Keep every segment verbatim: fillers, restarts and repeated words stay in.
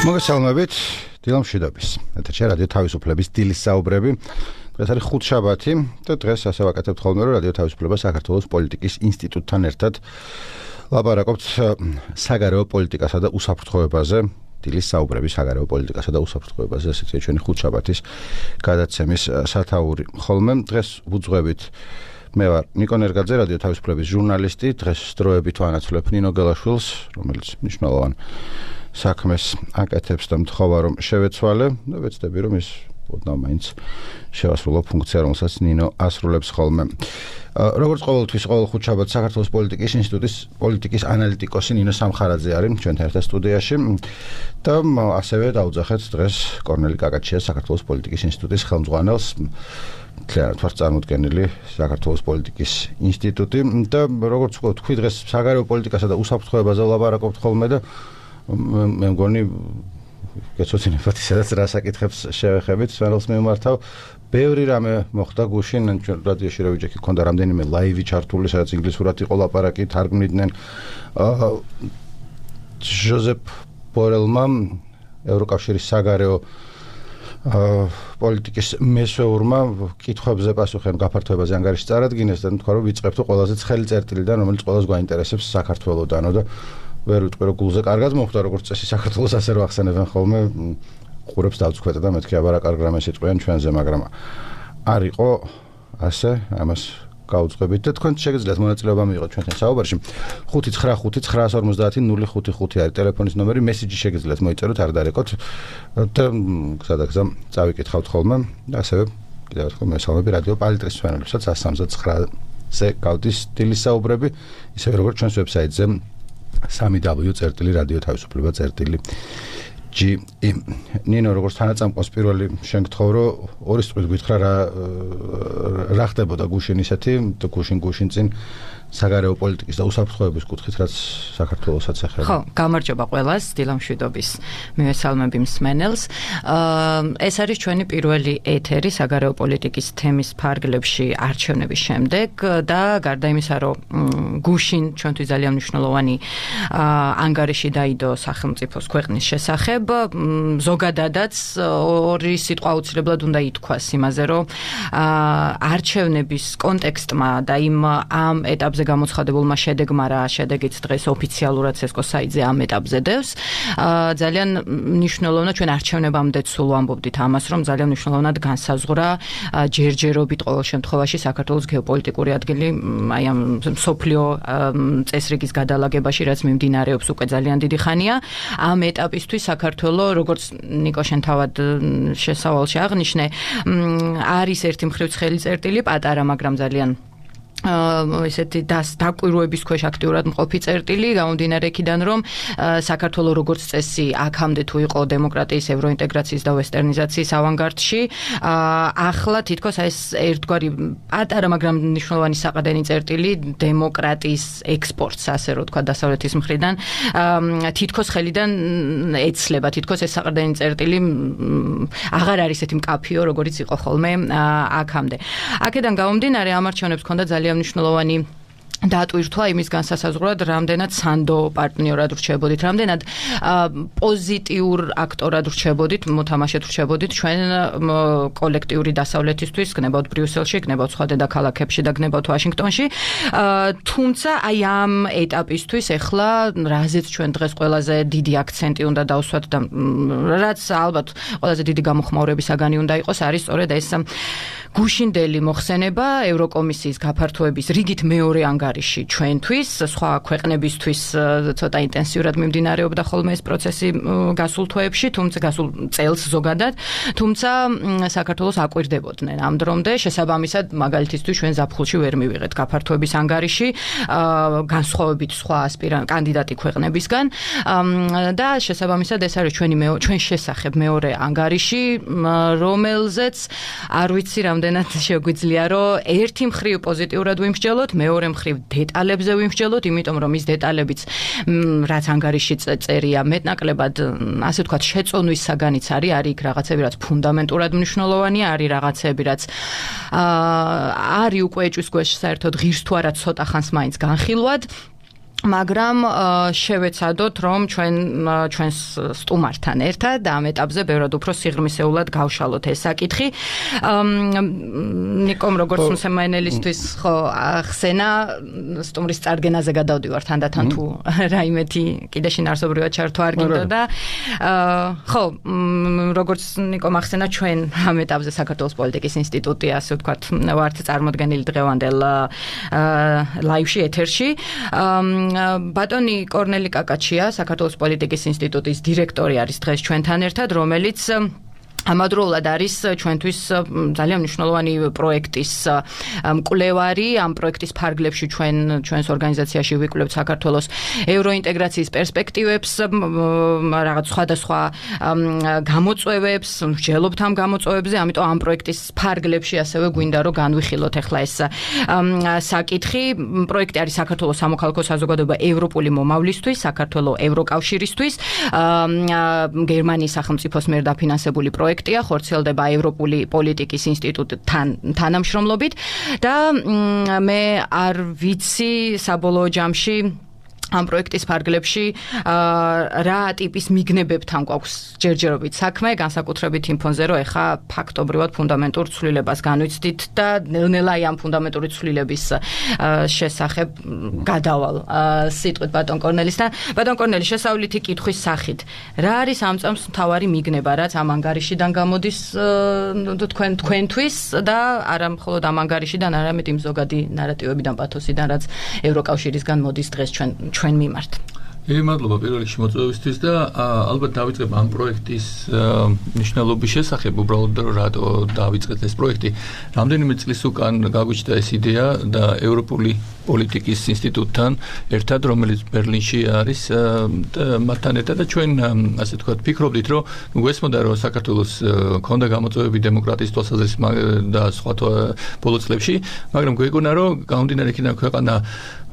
მოგესალმებით, დილამ მშვიდობის. ეთერში რადიო თავისუფლების დილის საუბრები. დღეს არის ხუთშაბათი და დღეს ასე ვაკეთებთ ხოლმე, რომ რადიო თავისუფლება საქართველოს პოლიტიკის ინსტიტუტთან ერთად ლაპარაკობთ საგარეო პოლიტიკასა და უსაფრთხოებაზე. დილის საუბრები საგარეო პოლიტიკასა და უსაფრთხოებაზე, ესეც ჩვენი ხუთშაბათის გადაცემის სათაური. ხოლმე დღეს ვუძღვებით მე ვარ ნიკო ნერგაძე, რადიო თავისუფლების ჟურნალისტი. დღეს დროებით ვანაცვლებ ნინო გელაშვილს, რომელიც მნიშვნელოვან საქმეს აკეთებს და მთხოვა რომ შევეცვალე და ვეცდები რომ ის ოდნავ მაინც შევასრულო ფუნქცია, რომელსაც ნინო ასრულებს ხოლმე. როგორც ყოველთვის ყოველ ხუთშაბათს საქართველოს პოლიტიკის ინსტიტუტის პოლიტიკის ანალიტიკოსი ნინო სამხარაძე არის ჩვენთან ერთად სტუდიაში და ასევე დავუძახეთ დღეს კორნელი კაკაჩიას, საქართველოს პოლიტიკის ინსტიტუტის ხელმძღვანელს. მთლიანად ვარ წარმოდგენილი საქართველოს პოლიტიკის ინსტიტუტი და როგორც ვთქვი, დღეს საგარეო პოლიტიკასა და უსაფრთხოებაზე ვლაპარაკობთ ხოლმე და მე მგონი გეცოდინებათ სადაც რა საკითხებს შევეხებით, სვენელს მიმართავ. ბევრი რამე მოხდა გუშინ, რადიოში რა ვიჯექი, ქონდა რამდენიმე ლაივი ჩართული, სადაც ინგლისურად იყო ლაპარაკი, თარგმნიდნენ. ჟოზეფ ბორელმა, ევროკავშირის საგარეო პოლიტიკის მესვეურმა კითხვებზე პასუხი გაფართოებაზე ანგარიში წარადგინეს და თქვა რომ ვიწყებთ ყველაზე ცხელი წერტილიდან, რომელიც ყველას გვაინტერესებს საქართველოდანო და ვერ ვიტყვი რომ გულზე კარგად მოხდა, როგორც წესი საქართველოს ასე რო ახსენებენ ხოლმე, ყურებს დავწქვეტა და მეთქი აბა რა კარგ რამეს იტყვიან ჩვენზე, მაგრამ არ იყო ასე, ამას გავუძღვებით და თქვენ შეგიძლიათ მონაწილეობა მიიღოთ ჩვენთან საუბარში. ხუთი ცხრა ხუთი ცხრა ორმოცდაათი ნული ხუთი ხუთი არის ტელეფონის ნომერი, მესიჯი შეგიძლიათ მოიწეროთ, არ დარეკოთ და გზადაგზა წავიკითხავთ ხოლმე და ასევე კიდევ ერთხელ მესალმები რადიო პალიტრის მსმენელებსაც one three nine-ზე გავდის დილის საუბრები, ისევე როგორც ჩვენს ვებსაიტზე three w წერტილი რადიო თავისუფლება წერტილი ჯი იმ. ნინო, როგორც თანაწამყვას პირველი შენ გთხოვ, რომ ორი სწვით გითხრა რა რა ხდებოდა გუშინ ისეთი და გუშინ გუშინ წინ საგარეო პოლიტიკის და უსაფრთხოების კუთხით, რაც საქართველოსაც ეხება. ხო, გამარჯობა ყველას, დილამ მშვიდობის მივესალმები მსმენელს. ეს არის ჩვენი პირველი ეთერი საგარეო პოლიტიკის თემის ფარგლებში არჩევნების შემდეგ და გარდა იმისა, რომ გუშინ ჩვენთვის ძალიან მნიშვნელოვანი ანგარიში დაიდო სახელმწიფოს ქვეყნის შესახებ, ზოგადადაც ორი სიტყვა აუცილებლად უნდა ითქვას იმაზე, რომ არჩევნების კონტექსტმა და იმ ამ ეტაპზე გამოცხადებულმა შედეგმა, რა შედეგიც დღეს ოფიციალურად ცესკოს საიტზე ამ ეტაპზე დევს, ძალიან მნიშვნელოვნად ჩვენ არჩევნებამდე სულ ვამბობდით ამას, რომ ძალიან მნიშვნელოვნად განსაზღვრა ჯერჯერობით ყოველ შემთხვევაში საქართველოს გეოპოლიტიკური ადგილი აი ამ მსოფლიო წესრიგის გადალაგებაში, რაც მიმდინარეობს უკვე ძალიან დიდი ხანია. ამ ეტაპისთვის საქართველო, როგორც ნიკო შენ თავად შესავალში აღნიშნე, არის ერთი მხრივ ცხელი წერტილი, პატარა, მაგრამ ძალიან ესეთი დაკვირვების ქვეშ აქტიურად მყოფი წერტილი, გამომდინარე იქიდან, რომ საქართველოს როგორც წესი აქამდე თუ იყო დემოკრატიის, ევროინტეგრაციის და ვესტერნიზაციის ავანგარდში, ახლა თითქოს ეს ერთგვარი პატარა, მაგრამ მნიშვნელოვანი საყრდენი წერტილი დემოკრატიის ექსპორტს, ასე რომ თქვა, დასავლეთის მხრიდან თითქოს ხელიდან ეცლება, თითქოს ეს საყრდენი წერტილი აღარ არის ესეთი მკაფიო, როგორიც იყო ხოლმე აქამდე. აქედან გამომდინარე, ამ არჩევნებს ჰქონდა ძალიან მნიშვნელოვანი დატვირთვა იმის განსასაზღვრად, რამდენად სანდო პარტნიორად რჩებოდით, რამდენად პოზიტიურ აქტორად რჩებოდით, მოთამაშედ რჩებოდით ჩვენ კოლექტიური დასავლეთისთვის, გნებავთ ბრიუსელში, გნებავთ სხვა დედაქალაქებში და გნებავთ ვაშინგტონში. თუმცა აი ამ ეტაპისთვის ეხლა რაზეც ჩვენ დღეს ყველაზე დიდი აქცენტი უნდა დავსვათ და რაც ალბათ ყველაზე დიდი გამოხმაურების საგანი უნდა იყოს, არის სწორედ ეს გუშინდელი მოხსენება ევროკომისიის გაფართოების რიგით მეორე ანგარიში ჩვენთვის, სხვა ქვეყნებისთვის ცოტა ინტენსიურად მიმდინარეობდა ხოლმე ეს პროცესი გასულ თვეებში, თუმცა გასულ წელს ზოგადად, თუმცა საქართველოს აკვირდებოდნენ ამ დრომდე, შესაბამისად მაგალითისთვის ჩვენ ზაფხულში ვერ მივიღეთ გაფართოების ანგარიში, განსხვავებით სხვა ასპირანტ კანდიდატი ქვეყნებისგან და შესაბამისად ეს არის ჩვენი ჩვენ შესახებ მეორე ანგარიში, რომელზეც არ ვიცი რამდენად შეგვიძლია, რომ ერთი მხრივ პოზიტიურად ვიმსჯელოთ, მეორე მხრივ დეტალებზე ვიმსჯელოთ, იმიტომ რომ ის დეტალებიც რაც ანგარიში წერია მეტნაკლებად, ასე ვთქვათ, შეწონვის საგანიც არის, არის იქ რაღაცები, რაც ფუნდამენტურად მნიშვნელოვანია, არის რაღაცები, რაც არის უკვე ეჭვის ქვეშ საერთოდ ღირს თუ არა ცოტა ხანს მაინც განხილვად. მაგრამ შევეცადოთ რომ ჩვენ ჩვენს სტუმართან ერთად ამ ეტაპზე ბევრად უფრო სიღრმისეულად გავშალოთ ეს საკითხი. ნიკომ როგორც მსმენელისთვის ხო ახსენა სტუმრის წარდგენაზე გადავდივარ თანდათან თუ რაიმეთი კიდე შინაარსობრივად ჩართვა არ გინდოდა. ხო, როგორც ნიკომ ახსენა ჩვენ ამ ეტაპზე საქართველოს პოლიტიკის ინსტიტუტი ასე ვთქვათ ვართ წარმოდგენილი დღევანდელ ლაივში ეთერში. ბატონი კორნელი კაკაჩია, საქართველოს პოლიტიკის ინსტიტუტის დირექტორი არის დღეს ჩვენთან ერთად, რომელიც ამავდროულად არის ჩვენთვის ძალიან მნიშვნელოვანი პროექტის მკვლევარი. ამ პროექტის ფარგლებში ჩვენ ჩვენს ორგანიზაციაში ვიკვლევთ საქართველოს ევროინტეგრაციის პერსპექტივებს, რაღაც სხვადასხვა გამოწვევებს, ვჯელობთ ამ გამოწვევებზე, ამიტომ ამ პროექტის ფარგლებში ასევე გვინდა რომ განვიხილოთ ახლა ეს საკითხი. პროექტი არის საქართველოს სამოქალაქო საზოგადოება ევროპული მომავლისთვის, საქართველოს ევროკავშირისთვის, გერმანიის სახელმწიფოს მიერ დაფინანსებული პროექტი. ხორციელდება ევროპული პოლიტიკის ინსტიტუტთან თანამშრომლობით და მე არ ვიცი საბოლოო ჯამში ამ პროექტის ფარგლებში რა ტიპის მიგნებებთან გვაქვს ჯერჯერობით საქმე, განსაკუთრებით იმ ფონზე, რომ ეხა ფაქტობრივად ფუნდამენტურ ცვლილებას განვიცდით და ნელ-ნელა ამ ფუნდამენტური ცვლილების შესახებ გადავალ სიტყვით ბატონ კორნელისთან. ბატონ კორნელი, შესავლითი კითხვის სახით, რა არის ამ წამს მთავარი მიგნება, რაც ამ ანგარიშიდან გამოდის თქვენ თქვენთვის და არა მხოლოდ ამ ანგარიშიდან, არამედ იმ ზოგადი ნარატივებიდან, პათოსიდან, რაც ევროკავშირისგან მოდის დღეს ჩვენ ჩვენ მიმართ. Ე მადლობა პირველ რიგში მოწვევისთვის და ალბათ დავიწყებ ამ პროექტის მნიშვნელობის შესახებ, უბრალოდ რატო დავიწყეთ ეს პროექტი. რამდენიმე წლის უკან გაგვიჩნდა ეს იდეა და ევროპული პოლიტიკის ინსტიტუტთან ერთად, რომელიც ბერლინში არის, მათთან ერთად და ჩვენ ასე თქვათ ფიქრობდით, რომ გვესმოდა რომ საქართველოს ქონდა გამოწვევები დემოკრატიის თვალსაზრისით და სხვა ბოლო წლებში, მაგრამ გვეგონა რომ გამომდინარე იქიდან ქვეყანა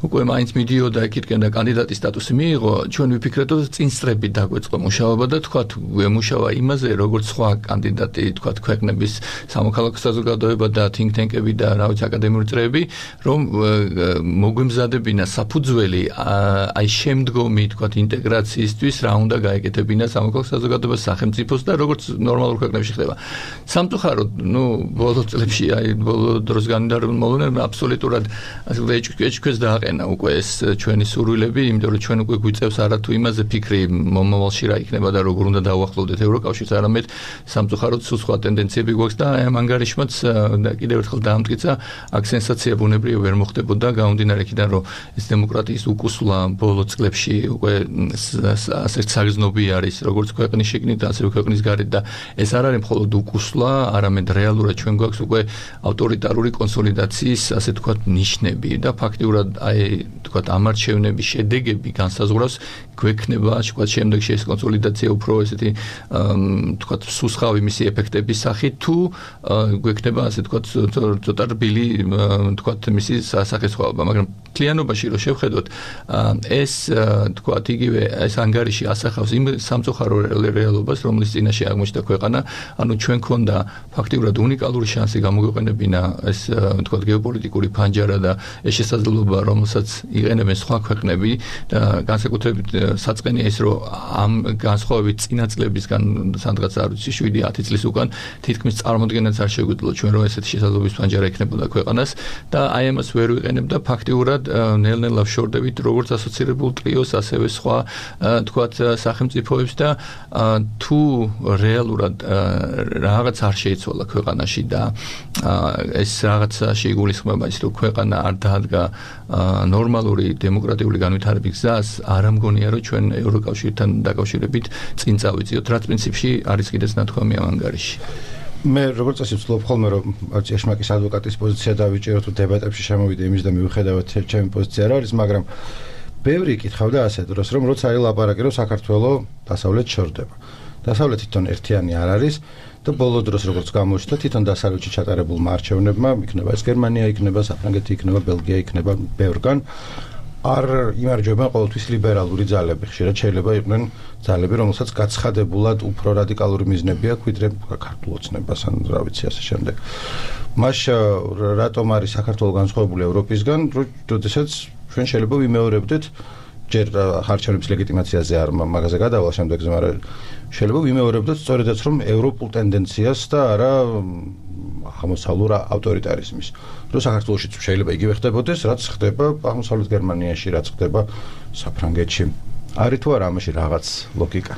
უკვე მაინც მიდიოდა იქითკენ და კანდიდატის სტატუსი მიიღო, ჩვენ ვიფიქრეთ, რომ წინსწრები დაგვეწყო მუშაობა და თქვათ ვემუშავა იმაზე, როგორც სხვა კანდიდატი, თქვათ ქვეყნების სამოქალაქო საზოგადოება და think tank-ები და რა ვიცი აკადემიური წრეები, რომ მოგვემზადებინა საფუძველი აი შემდგომი, თქვათ ინტეგრაციისთვის, რა უნდა გაეკეთებინა სამოქალაქო საზოგადოებას სახელმწიფოს და როგორც ნორმალურ ქვეყნებში ხდება. სამწუხაროდ, ნუ ბოლო წლებში, აი ბოლო დროს განმავლობაში აბსოლუტურად ასე ეჭქვეს და უკვე ეს ჩვენი სურვილები, იმიტომ რომ ჩვენ უკვე გვიწევს არათუ იმაზე ფიქრი მომავალში რა იქნება და როგორ უნდა დავახლოვდეთ ევროკავშირს, არამედ სამწუხაროდ სულ სხვა ტენდენციები გვაქვს და ამ ანგარიშმაც კიდევ ერთხელ დაამტკიცა, აქ სენსაცია ბუნებრივი ვერ მოხდებოდა, გამომდინარე იქიდან რომ ეს დემოკრატიის უკუსვლა ბოლო წლებში უკვე ასე საგრძნობი არის, როგორც ქვეყნის შიგნით, ასევე ქვეყნის გარეთ და ეს არ არის მხოლოდ უკუსვლა, არამედ რეალურად ჩვენ გვაქვს უკვე ავტორიტარული კონსოლიდაციის, ასე თქვათ, ნიშნები და ფაქტიურად აი თქვათ ამ არჩევნების შედეგები განსაზღვრავს გვექნება თქვათ შემდეგში ეს კონსოლიდაცია უფრო ესეთი თქვათ სუსხავი მისი ეფექტების სახით თუ გვექნება ასე თქვათ ცოტა რბილი თქვათ მისი სახესხვაობა, მაგრამ მთლიანობაში რო შევხედოთ ეს თქვათ იგივე ეს ანგარიში ასახავს იმ სამწუხარო რეალობას, რომლის წინაშე აღმოჩნდა ქვეყანა, ანუ ჩვენ ქონდა ფაქტიურად უნიკალური შანსი გამოგვეყენებინა ეს თქვათ გეოპოლიტიკური ფანჯარა და ეს შესაძლებლობა, რომელსაც იყენებენ სხვა ქვეყნები და განსაკუთრებით საწყენია ის, რომ ამ განსხვავებით წინა წლებისგან სადღაც არ ვიცი შვიდი ათი წლის უკან თითქმის წარმოდგენაც არ შეგვიძლია ჩვენ რომ ესეთი შესაძლებლობის ფანჯარა ექნებოდა ქვეყანას და აი ამას ვერ ვიყენებდა ფაქტიურად ნელ-ნელა ვშორდებით როგორც ასოცირებულ ტრიოს, ასევე სხვა თქვათ სახელმწიფოებს და თუ რეალურად რაღაც არ შეიცვალა ქვეყანაში და ეს რაღაცა შეიგულისხმება ის, რომ ქვეყანა არ დაადგა ნორმალური დემოკრატიული განვითარების გზას, არ ამგონია რომ ჩვენ ევროკავშირთან დაკავშირებით წინ წავიწიოთ, რაც პრინციპში არის კიდეც ნათქვამი ამ ანგარიში. მე როგორც წესი ვცდილობ ხოლმე რომ ეშმაკის ადვოკატის პოზიცია დავიჭირო თუ დებატებში შემოვიდე იმის და მივხვდეთ ჩემი პოზიცია რა არის, მაგრამ ბევრი კითხავდა ასე დროს რომ როცა არის ლაპარაკი რომ საქართველოს დასავლეთ შორდება. დასავლეთი თვითონ ერთიანი არ არის და ბოლო დროს როგორც გამოჩნდა თვითონ დასავლეთში ჩატარებულმა არჩევნებმა, იქნება ეს გერმანია, იქნება საფრანგეთი, იქნება ბელგია, იქნება ბევრგან არ იმარჯვებენ ყოველთვის ლიბერალური ძალები, ხშირად შეიძლება იყვნენ ძალები, რომელსაც გაცხადებულად უფრო რადიკალური მიზნები აქვს, ვიდრე ქართულ ოცნებას ან რა ვიცი ასე შემდეგ. მას რატომ არის საქართველოს განსხვავებული ევროპისგან, როდესაც ჩვენ შეიძლება ვიმეორებდეთ ჯერ არჩევნების ლეგიტიმაციაზე არ მაგაზე გადავალ შემდეგზე, მაგრამ შეიძლება ვიმეორებდეთ სწორედაც რომ ევროპულ ტენდენციას და არა აღმოსავლურ ავტორიტარიზმის. რომ საქართველოშიც შეიძლება იგივე ხდებოდეს, რაც ხდება აღმოსავლეთ გერმანიაში, რაც ხდება საფრანგეთში. არის თუ არა ამაში რაღაც ლოგიკა?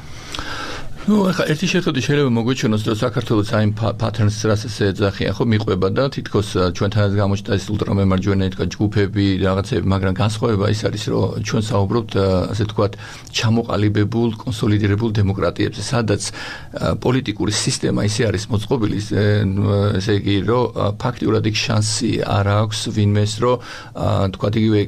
ნუ ახლა ერთი შეხედვით შეიძლება მოგვიჩვენოს, რომ საქართველოს აი პატერნს რასაც ეძახიან, ხო მიყვება და თითქოს ჩვენთანაც გამოჩნდა ეს ულტრამემარჯვენე თქვა ჯგუფები, რაღაცები, მაგრამ განსხვავება ის არის, რომ ჩვენ საუბრობთ ასე თქვათ ჩამოყალიბებულ, კონსოლიდირებულ დემოკრატიებზე, სადაც პოლიტიკური სისტემა ისე არის მოწყობილი, ესე იგი, რომ ფაქტიურად იქ შანსი არ აქვს ვინმეს, რომ თქვათ იგივე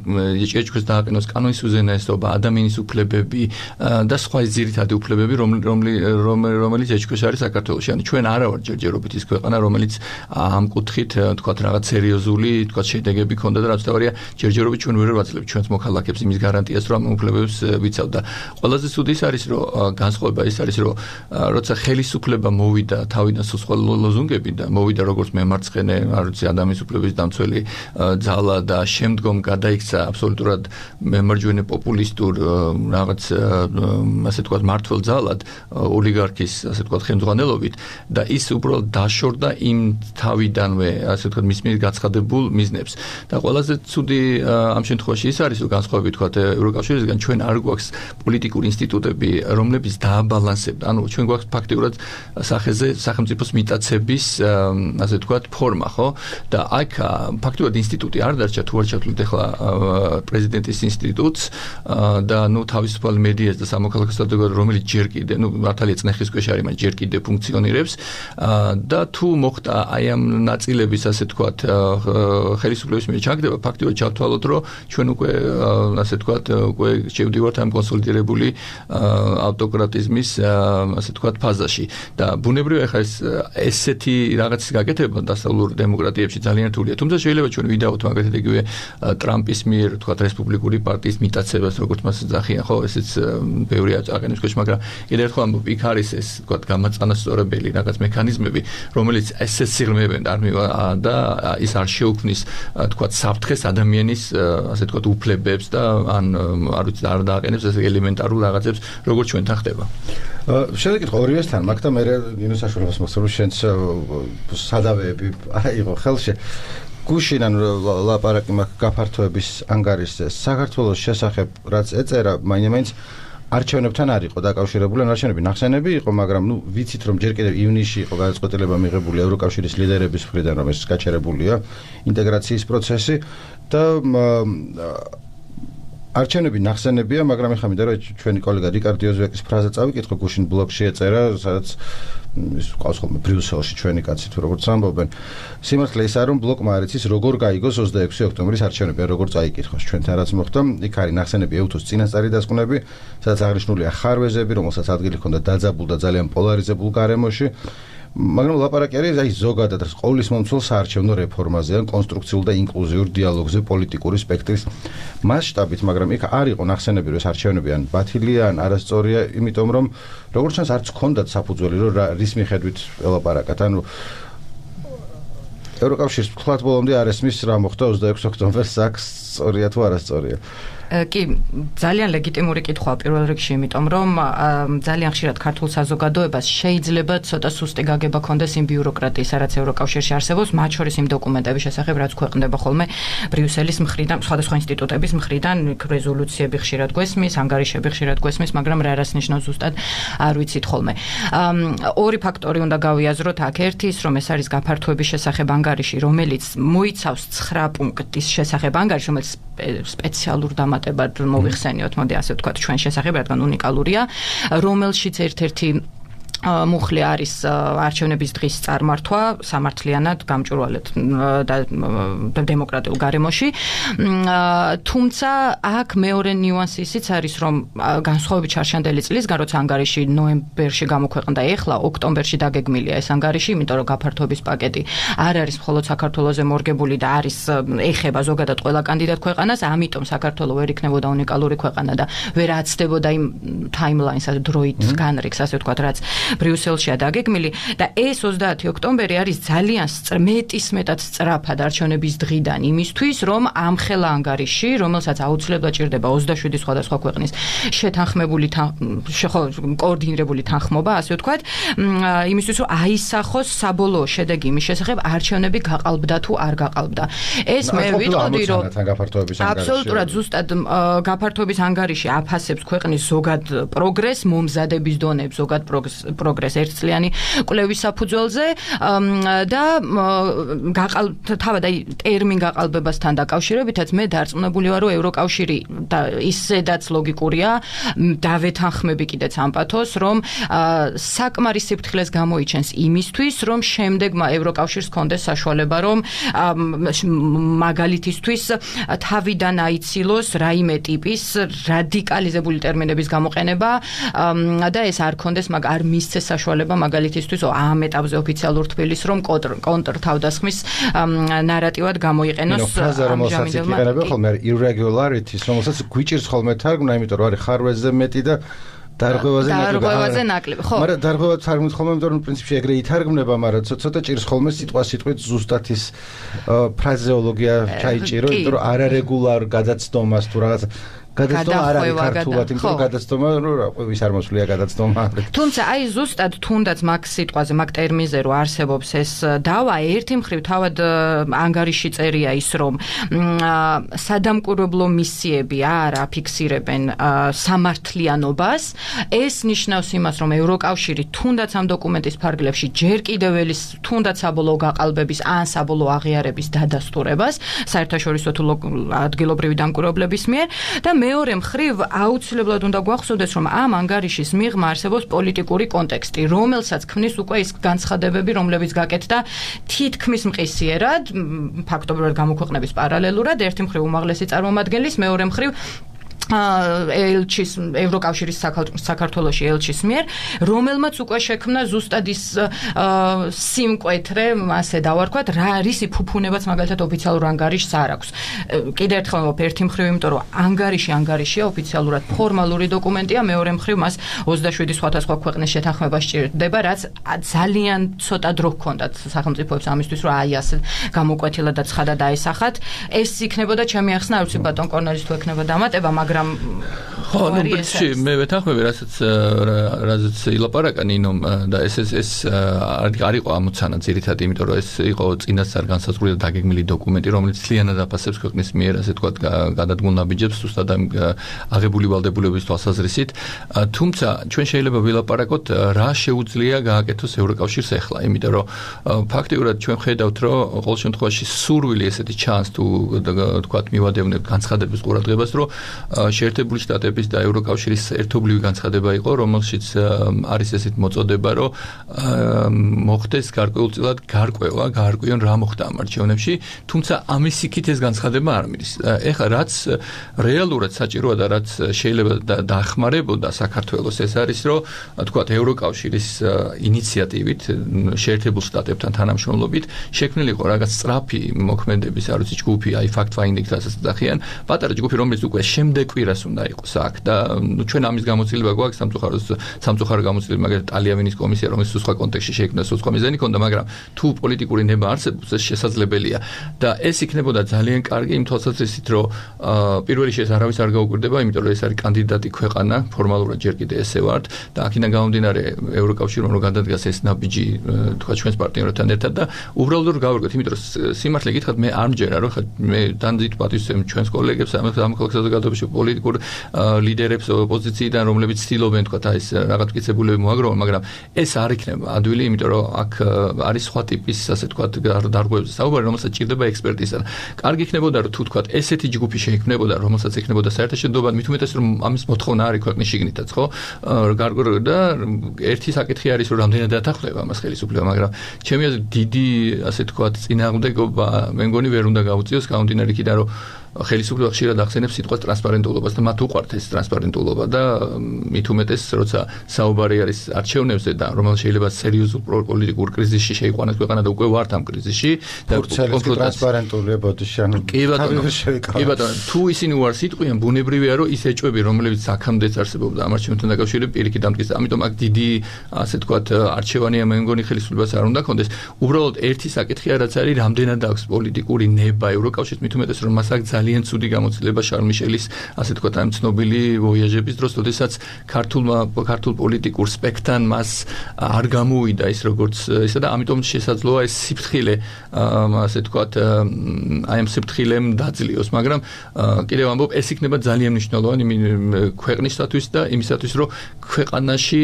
ჭეჭქვას დააყენოს კანონის უზენაესობა, ადამიანის უფლებები და სხვა ძირითადი უფლებები, რომლი რომელიც ეჭქვას არის საქართველოში. ანუ ჩვენ არა ვარ ჯერჯერობით ის ქვეყანა, რომელიც ამ კუთხით თქვათ რაღაც სერიოზული თქვათ შედეგები ქონდა და რაც თავარია ჯერჯერობით ჩვენ ვერ ვაძლევთ ჩვენს მოქალაქეებს იმის გარანტიას, რომ ამ უფლებებს ვიცავ და ყველაზე ცუდი ის არის, რომ განსხვავება ის არის, რომ როცა ხელისუფლება მოვიდა თავიდან სხვა ლოზუნგები და მოვიდა როგორც მემარცხენე, არ ვიცი ადამიანის უფლების დამცველი ძალა და შემდგომ გადაიქცა აბსოლუტურად მემარჯვენე პოპულისტურ რაღაც ასე თქვათ მართლ ძალად ოლიგარქის ასე ვთქვათ ხელმძღვანელობით და ის უბრალოდ დაშორდა იმ თავიდანვე ასე ვთქვათ მის მიერ გაცხადებულ მიზნებს და ყველაზე ცუდი ამ შემთხვევაში ის არის რომ განსხვავებით ვთქვათ ევროკავშირისგან ჩვენ არ გვაქვს პოლიტიკური ინსტიტუტები რომლებიც დააბალანსებდა ანუ ჩვენ გვაქვს ფაქტიურად სახეზე სახელმწიფოს მიტაცების ასე ვთქვათ ფორმა ხო და აქ ფაქტიურად ინსტიტუტი არ დარჩა თუ არ ჩათვლით ახლა პრეზიდენტის ინსტიტუტს და ნუ თავისუფალ მედიას და სამოქალაქო საზოგადოებას რომელიც ჯერ კიდე ნუ მართალია წნეხის ქვეშ არის მაგრამ ჯერ კიდე ფუნქციონირებს და თუ მოხდა აი ამ ნაწილების ასე ვთქვათ ხელისუფლების მიერ ჩაგდება ფაქტიურად ჩავთვალოთ რომ ჩვენ უკვე ასე ვთქვათ უკვე შევდივართ ამ კონსოლიდირებული ავტოკრატიზმის ასე ვთქვათ ფაზაში და ბუნებრივია ხა ეს ესეთი რაღაცის გაკეთება დასავლურ დემოკრატიებში ძალიან რთულია თუმცა შეიძლება ჩვენ ვიდაოთ მაგალითად იგივე ტრამპის მიერ ვთქვათ რესპუბლიკური პარტიის მიტაცებას როგორც მას ეძახიან ხო ესეც ბევრი აყენებს ქვეშ მაგრამ კიდევ ერთხელ ამბობ იქ არის ეს ვთქვათ გამაწანასწორებელი რაღაც მექანიზმები რომელიც ესეც სიღრმეებენ არ მივა და ის არ შეუქმნის ვთქვათ საფრთხეს ადამიანის ასე ვთქვათ უფლებებს და ან არ ვიცი არ დააყენებს ეს ელემენტარულ რაღაცებს როგორც ჩვენთან ხდება შევეკითხო ორივესთან მაგ და მე ნინოს საშუალებას მოხსოვს შენც სადავეები აიღო ხელში გუშინ ან ლაპარაკი მაგ გაფართოების ანგარიშზე საქართველოს შესახებ რაც ეწერა მაინც არჩევნებთან არ იყო დაკავშირებული, არჩევნები ნახსენები იყო, მაგრამ ნუ ვიცით რომ ჯერ კიდევ ივნისში იყო გადაწყვეტილება მიღებული ევროკავშირის ლიდერების მხრიდან რომ ეს გაჩერებულია ინტეგრაციის პროცესი და არჩევნები ნახსენებია, მაგრამ ეხლა მინდა რომ ჩვენი კოლეგა რიკარდო ოზვეკის ფრაზა წავიკითხო გუშინ ბლოგში ეწერა, სადაც ის ყავს ხოლმე ბრიუსელში ჩვენი კაცი თუ როგორც ამბობენ. სიმართლე ის არის რომ ბლოკმა არ იცის როგორ გაიგოს ოცდაექვსი ოქტომბრის არჩევნები, როგორ წაიკითხოს ჩვენთან რაც მოხდა. იქ არის ნახსენები ევთოს წინასწარი დასკვნები, სადაც აღნიშნულია ხარვეზები, რომელსაც ადგილი ჰქონდა დაძაბულ და ძალიან პოლარიზებულ გარემოში. მაგრამ ლაპარაკი არის აი ზოგადად ყოვლის მომცველ საარჩევნო რეფორმაზე, ან კონსტრუქციულ და ინკლუზიურ დიალოგზე პოლიტიკური სპექტრის მასშტაბით, მაგრამ იქ არ იყო ნახსენები რომ ეს არჩევნები ან ბათილია, ან არასწორია, იმიტომ რომ როგორც ჩანს არც ჰქონდათ საფუძველი რომ რის მიხედვით ელაპარაკათ, ანუ ევროკავშირის თქვათ ბოლომდე არ ესმის რა მოხდა ოცდაექვსი ოქტომბერს აქ სწორია თუ არასწორია. კი, ძალიან ლეგიტიმური კითხვაა პირველ რიგში, იმიტომ რომ ძალიან ხშირად ქართულ საზოგადოებას შეიძლება ცოტა სუსტი გაგება ქონდეს იმ ბიუროკრატიისა, რაც ევროკავშირში არსებობს, მათ შორის იმ დოკუმენტების შესახებ, რაც ქვეყნდება ხოლმე ბრიუსელის მხრიდან, სხვადასხვა ინსტიტუტების მხრიდან, რეზოლუციები ხშირად გვესმის, ანგარიშები ხშირად გვესმის, მაგრამ რა რას ნიშნავს ზუსტად არ ვიცით ხოლმე. ორი ფაქტორი უნდა გავიაზროთ აქ, ერთი ის, რომ ეს არის გაფართოების შესახებ ანგარიში, რომელიც მოიცავს ცხრა პუნქტის შესახებ ანგარიში, რომელიც სპეციალურ დამატებად მოვიხსენიოთ, მოდი ასე ვთქვათ, ჩვენ შესახებ, რადგან უნიკალურია, რომელშიც ერთ-ერთი მუხლი არის არჩევნების დღის წარმართვა სამართლიანად გამჭვირვალედ და დემოკრატიულ გარემოში. თუმცა აქ მეორე ნიუანსი ისიც არის, რომ განსხვავებით შარშანდელი წლისგან, როცა ანგარიში ნოემბერში გამოქვეყნდა, ეხლა ოქტომბერში დაგეგმილია ეს ანგარიში, იმიტომ რომ გაფართოების პაკეტი არ არის მხოლოდ საქართველოზე მორგებული და არის ეხება ზოგადად ყველა კანდიდატ ქვეყანას, ამიტომ საქართველო ვერ იქნებოდა უნიკალური ქვეყანა და ვერ აცდებოდა იმ ტაიმლაინს, დროით განრიგს, ასე ვთქვათ, რაც ბრიუსელშია დაგეგმილი და ეს ოცდაათი ოქტომბერი არის ძალიან მეტის მეტად სწრაფად არჩევნების დღიდან იმისთვის, რომ ამ ხელა ანგარიში, რომელსაც აუცილებლად ჭირდება ოცდაშვიდი სხვადასხვა ქვეყნის შეთანხმებული კოორდინირებული თანხმობა, ასე ვთქვათ, იმისთვის, რომ აისახოს საბოლოო შედეგი იმის შესახებ, არჩევნები გაყალბდა თუ არ გაყალბდა. ეს მე ვიტყოდი, რომ აბსოლუტურად ზუსტად გაფართოების ანგარიში აფასებს ქვეყნის ზოგად პროგრესს, მომზადების დონებს, ზოგად პროგრესს ერთწლიანი კვლევის საფუძველზე და თავად აი ტერმინ გაყალბებასთან დაკავშირებითაც მე დარწმუნებული ვარ, რომ ევროკავშირი და ისედაც ლოგიკურია დავეთანხმები კიდეც ამ პათოს, რომ საკმარის სიფრთხილეს გამოიჩენს იმისთვის, რომ შემდეგმა ევროკავშირს ჰქონდეს საშუალება, რომ მაგალითისთვის თავიდან აიცილოს რაიმე ტიპის რადიკალიზებული ტერმინების გამოყენება და ეს არ ქონდეს, მაგ არ მისცეს საშუალება მაგალითისთვის ამ ეტაპზე ოფიციალურ თბილისს, რომ კონტრ თავდასხმის ნარატივად გამოიყენოს ამჟამინდელმა ხოლმე irregularities, რომელსაც გვიჭირს ხოლმე თარგმნა, იმიტომ რომ არის ხარვეზე მეტი და დარღვევაზე ნაკლები. დარღვევაზე ნაკლები, ხო. მაგრამ დარღვევა თარგმნით ხოლმე, იმიტომ რომ პრინციპში ეგრე ითარგმნება, მაგრამ ცოტა ჭირს ხოლმე სიტყვა-სიტყვით ზუსტად ის ფრაზეოლოგია ჩაიჭირო, იმიტომ რომ არარეგულარ გადაცდომას თუ რაღაც გადაცდომა არ არის ქართულად, იმიტომ რომ გადაცდომა ვის არ მოსვლია გადაცდომა. თუმცა აი ზუსტად თუნდაც მაგ სიტყვაზე, მაგ ტერმინზე რო არსებობს ეს დავა, ერთი მხრივ თავად ანგარიში წერია ის, რომ სადამკვირვებლო მისიები არ აფიქსირებენ სამართლიანობას. ეს ნიშნავს იმას, რომ ევროკავშირი თუნდაც ამ დოკუმენტის ფარგლებში ჯერ კიდევ ელის თუნდაც საბოლოო გაყალბების ან საბოლოო აღიარების დადასტურებას საერთაშორისო თუ ადგილობრივი დამკვირვებლების მიერ და მეორე მხრივ აუცილებლად უნდა გვახსოვდეს, რომ ამ ანგარიშის მიღმა არსებობს პოლიტიკური კონტექსტი, რომელსაც ქმნის უკვე ის განცხადებები, რომლებიც გაკეთდა თითქმის მყისიერად, ფაქტობრივად გამოქვეყნების პარალელურად, ერთი მხრივ უმაღლესი წარმომადგენლის, მეორე მხრივ ელჩის ევროკავშირის საქართველოში ელჩის მიერ, რომელმაც უკვე შექმნა ზუსტად ის სიმკვეთრე, ასე დავარქვათ, რა რისი ფუფუნებაც მაგალითად ოფიციალურ ანგარიშს არ აქვს. კიდევ ერთხელ ვამბობ, ერთი მხრივ, იმიტომ რომ ანგარიში ანგარიშია, ოფიციალურად ფორმალური დოკუმენტია, მეორე მხრივ მას ოცდაშვიდი სხვადასხვა ქვეყნის შეთანხმება სჭირდება, რაც ძალიან ცოტა დრო ჰქონდათ სახელმწიფოებს ამისთვის, რომ აი ასე გამოკვეთილად და ცხადად აისახათ. ეს იქნებოდა ჩემი ახსნა, არ ვიცი ბატონ კორნელის თუ ექნება დამატება, მაგრამ ხო, ნუ პრინციპში მე ვეთანხმები, რასაც რასაც ილაპარაკა ნინომ და ეს ეს ეს არ იყო ამოცანა ძირითადად, იმიტომ რომ ეს იყო წინასწარ განსაზღვრული და დაგეგმილი დოკუმენტი, რომელიც ძალიანად აფასებს ქვეყნის მიერ, ასე ვთქვათ, გადადგმულ ნაბიჯებს ზუსტად ამ აღებული ვალდებულების თვალსაზრისით. თუმცა ჩვენ შეიძლება ვილაპარაკოთ, რა შეუძლია გააკეთოს ევროკავშირს ახლა, იმიტომ რომ ფაქტიურად ჩვენ ხედავთ, რომ ყოველ შემთხვევაში სურვილი ესეთი ჩანს თუ ვთქვათ მივადევნებთ განცხადების ყურადღებას, რომ შეერთებული შტატების და ევროკავშირის ერთობლივი განცხადება იყო, რომელშიც არის ესეთ მოწოდება, რომ მოხდეს გარკვეულწილად გარკვევა, გაარკვიონ რა მოხდა ამ არჩევნებში, თუმცა ამის იქით ეს განცხადება არ მიდის. ეხლა რაც რეალურად საჭიროა და რაც შეიძლება დაახმარებოდა საქართველოს, ეს არის, რომ თქვათ ევროკავშირის ინიციატივით, შეერთებულ შტატებთან თანამშრომლობით შექმნილი იყო რაღაც სწრაფი მოქმედების, არ ვიცი, ჯგუფი, აი fact finding რასაც დახიან, პატარა ჯგუფი, რომელიც უკვე შემდეგ კვირას უნდა იყოს აქ და ჩვენ ამის გამოცდილება გვაქვს სამწუხაროდ სამწუხარო გამოცდილება, მაგალითად ტალიანის კომისია, რომელიც სხვა კონტექსტში შეიქმნა, სხვა მიზანი ჰქონდა, მაგრამ თუ პოლიტიკური ნება არსებობს, ეს შესაძლებელია და ეს იქნებოდა ძალიან კარგი იმ თვალსაზრისით, რომ პირველი შეეს არავის არ გაუკვირდება, იმიტომ რომ ეს არის კანდიდატი ქვეყანა, ფორმალურად ჯერ კიდე ესე ვართ და აქედან გამომდინარე ევროკავშირმა რომ გადადგას ეს ნაბიჯი, თქვა ჩვენს პარტნიორებთან ერთად და უბრალოდ რომ გავერგოთ, იმიტომ რომ სიმართლე გითხრათ, მე არ მჯერა, რომ ხა მე დანძით პატივისცემ ჩვენს კოლეგებს ამ საზოგადოებაში პოლიტიკურ ლიდერებს ოპოზიციიდან, რომლებიც ცდილობენ თქვა ეს რაღაც მტკიცებულები მოაგროვონ, მაგრამ ეს არ იქნება ადვილი, იმიტომ რომ აქ არის სხვა ტიპის, ასე თქვა, დარღვევებზე საუბარი, რომელსაც ჭირდება ექსპერტიზა. კარგი იქნებოდა, რომ თუ თქვა ესეთი ჯგუფი შეიქმნებოდა, რომელსაც ექნებოდა საერთაშორისო, მით უმეტეს რომ ამის მოთხოვნა არის ქვეყნის შიგნითაც, ხო? და ერთი საკითხი არის, რომ რამდენად დათანხმდება ამას ხელისუფლება, მაგრამ ჩემი აზრით დიდი, ასე თქვა, წინააღმდეგობა მე მგონი ვერ უნდა გაუწიოს, გამომდინარე იქიდან, რომ ხელისუფლება ხშირად ახსენებს სიტყვას ტრანსპარენტულობას და მათ უყვართ ეს ტრანსპარენტულობა და მით უმეტეს როცა საუბარი არის არჩევნებზე და რომელიც შეიძლება სერიოზულ პოლიტიკურ კრიზისში შეიყვანოს ქვეყანა და უკვე ვართ ამ კრიზისში და ტრანსპარენტულია ბოდიში ანუ კი ბატონო თუ ისინი უარს იტყვიან ბუნებრივია რომ ის ეჭვები რომლებიც აქამდეც არსებობდა ამ არჩევნებთან დაკავშირებით პირიქით დამტკიცდა ამიტომ აქ დიდი ასე თქვათ არჩევანია მე მგონი ხელისუფლებას არ უნდა ქონდეს უბრალოდ ერთი საკითხია რაც არის რამდენად აქვს პოლიტიკური ნება ევროკავშირს მით უმეტეს რომ მას აქვს ძალიან ცუდი გამოცდილება შარლ მიშელის ასე თქვათ ამ ცნობილი ვოიაჟების დროს როდესაც ქართულმა ქართულ პოლიტიკურ სპექტრთან მას არ გამოუვიდა ის როგორც ისა და ამიტომ შესაძლოა ეს სიფრთხილე ასე თქვათ აი ამ სიფრთხილემ დაძლიოს მაგრამ კიდევ ამბობ ეს იქნება ძალიან მნიშვნელოვანი ქვეყნისათვის და იმისათვის რომ ქვეყანაში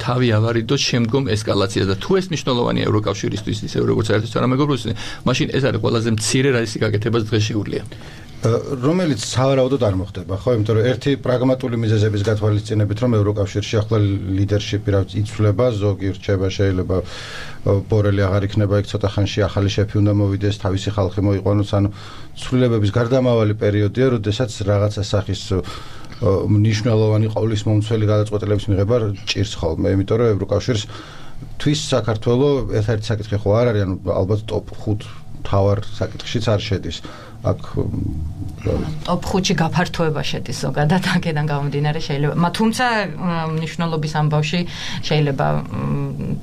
თავი ავარიდოს შემდგომ ესკალაციას და თუ ეს მნიშვნელოვანია ევროკავშირისთვის ისე როგორც საერთო თანამეგობრობისთვის მაშინ ეს არის ყველაზე მცირე რაისი გაკეთებას დღეს შეუძლია რომელიც სავარაუდოდ არ მოხდება ხო იმიტომ რომ ერთი პრაგმატული მიზეზების გათვალისწინებით რომ ევროკავშირში ახლა ლიდერშიპი რაც იცვლება ზოგი რჩება შეიძლება ბორელი აღარ იქნება იქ ცოტა ხანში ახალი შეფი უნდა მოვიდეს თავისი ხალხი მოიყვანოს ანუ ცვლილებების გარდამავალი პერიოდია როდესაც რაღაცა სახის მნიშვნელოვანი ყოვლის მომცველი გადაწყვეტილების მიღება ჭირს ხოლმე იმიტომ რომ ევროკავშირს თვის საქართველოს ერთ-ერთი საკითხი ხო არ არის ანუ ალბათ ტოპ ხუთ თავარ საკითხშიც არ შედის აქ ტოპ ხუთში გაფართოება შედის ზოგადად აქედან გამომდინარე შეიძლება მათ თუმცა მნიშვნელობის ამბავში შეიძლება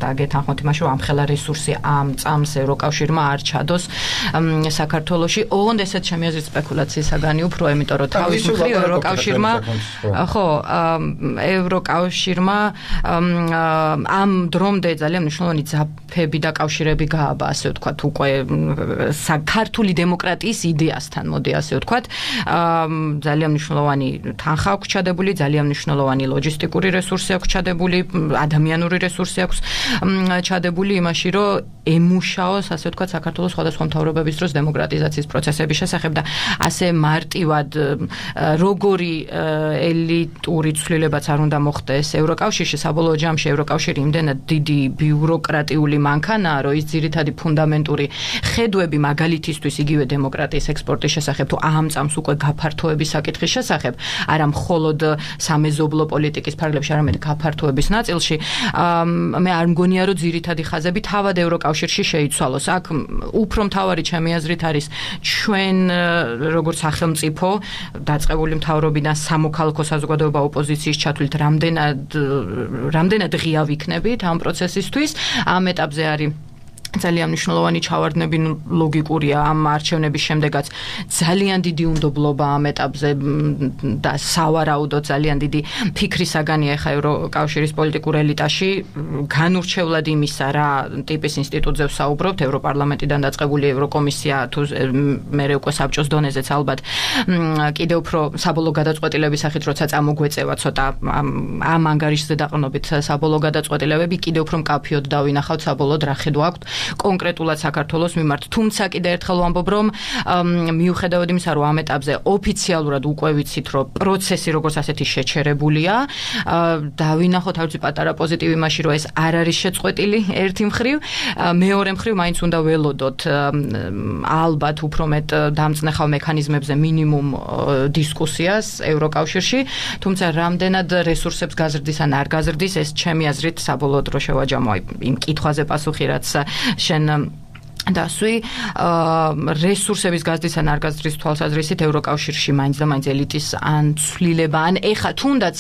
დაგეთანხმოთ იმაში რომ ამხელა რესურსი ამ წამს ევროკავშირმა არ ჩადოს საქართველოში ოღონდ ესეც ჩემი აზრით სპეკულაციის საგანი უფრო იმიტომ რომ თავის მხრივ ევროკავშირმა ხო ევროკავშირმა ამ დრომდე ძალიან მნიშვნელოვანი ძაფები და კავშირები გააბა ასე ვთქვათ უკვე ქართული დემოკრატიის იდეასთან მოდი ასე ვთქვათ ძალიან მნიშვნელოვანი თანხა აქვს ჩადებული ძალიან მნიშვნელოვანი ლოჯისტიკური რესურსი აქვს ჩადებული ადამიანური რესურსი აქვს ჩადებული იმაში რომ ემუშაოს ასე ვთქვათ საქართველოს სხვადასხვა მთავრობების დროს დემოკრატიზაციის პროცესების შესახებ და ასე მარტივად როგორი ელიტური ცვლილებაც არ უნდა მოხდეს ევროკავშირში საბოლოო ჯამში ევროკავშირი იმდენად დიდი ბიუროკრატიული მანქანაა რომ ის ძირითადი ფუნდამენტური ხედვები მაგალითისთვის იგივე დემოკრატიის ექსპორტის შესახებ თუ ამ წამს უკვე გაფართოების საკითხის შესახებ არა მხოლოდ სამეზობლო პოლიტიკის ფარგლებში არამედ გაფართოების ნაწილში მე არ მგონია რომ ძირითადი ხაზები თავად ევროკავშირში შეიცვალოს აქ უფრო მთავარი ჩემი აზრით არის ჩვენ როგორც სახელმწიფო დაწყებული მთავრობიდან სამოქალაქო საზოგადოება ოპოზიციის ჩათვლით რამდენად რამდენად ღია ვიქნებით ამ პროცესისთვის ამ ეტაპზე არის ძალიან მნიშვნელოვანი ჩავარდნები ლოგიკურია ამ არჩევნების შემდეგაც ძალიან დიდი უნდობლობა ამ ეტაპზე და სავარაუდოდ ძალიან დიდი ფიქრის საგანია ხა ევროკავშირის პოლიტიკურ ელიტაში განურჩევლად იმისა რა ტიპის ინსტიტუტზე ვსაუბრობთ ევროპარლამენტიდან დაწყებული ევროკომისია თუ მე უკვე საბჭოს დონეზეც ალბათ კიდევ უფრო საბოლოო გადაწყვეტილების სახით როცა წამოგვეწევა ცოტა ამ ანგარიშზე დაყრდნობით საბოლოო გადაწყვეტილებები კიდევ უფრო მკაფიოდ დავინახავთ საბოლოოდ რა ხედვა აქვს კონკრეტულად საქართველოს მიმართ. თუმცა კიდევ ერთხელ ვამბობ, რომ მიუხედავად იმისა, რომ ამ ეტაპზე ოფიციალურად უკვე ვიცით, რომ პროცესი როგორც ასეთი შეჩერებულია, დავინახოთ არც პატარა პოზიტივი იმაში, რომ ეს არ არის შეწყვეტილი ერთი მხრივ, მეორე მხრივ მაინც უნდა ველოდოთ ალბათ უფრო მეტ დამწნეხავ მექანიზმებზე მინიმუმ დისკუსიას ევროკავშირში, თუმცა რამდენად რესურსებს გაზრდის ან არ გაზრდის, ეს ჩემი აზრით საბოლოოდ რო შევაჯამო იმ კითხვაზე პასუხი, რაც შენ დასვი რესურსების გაზრდის ან არ გაზრდის თვალსაზრისით ევროკავშირში მაინც და მაინც ელიტის ან ცვლილება ან ეხა თუნდაც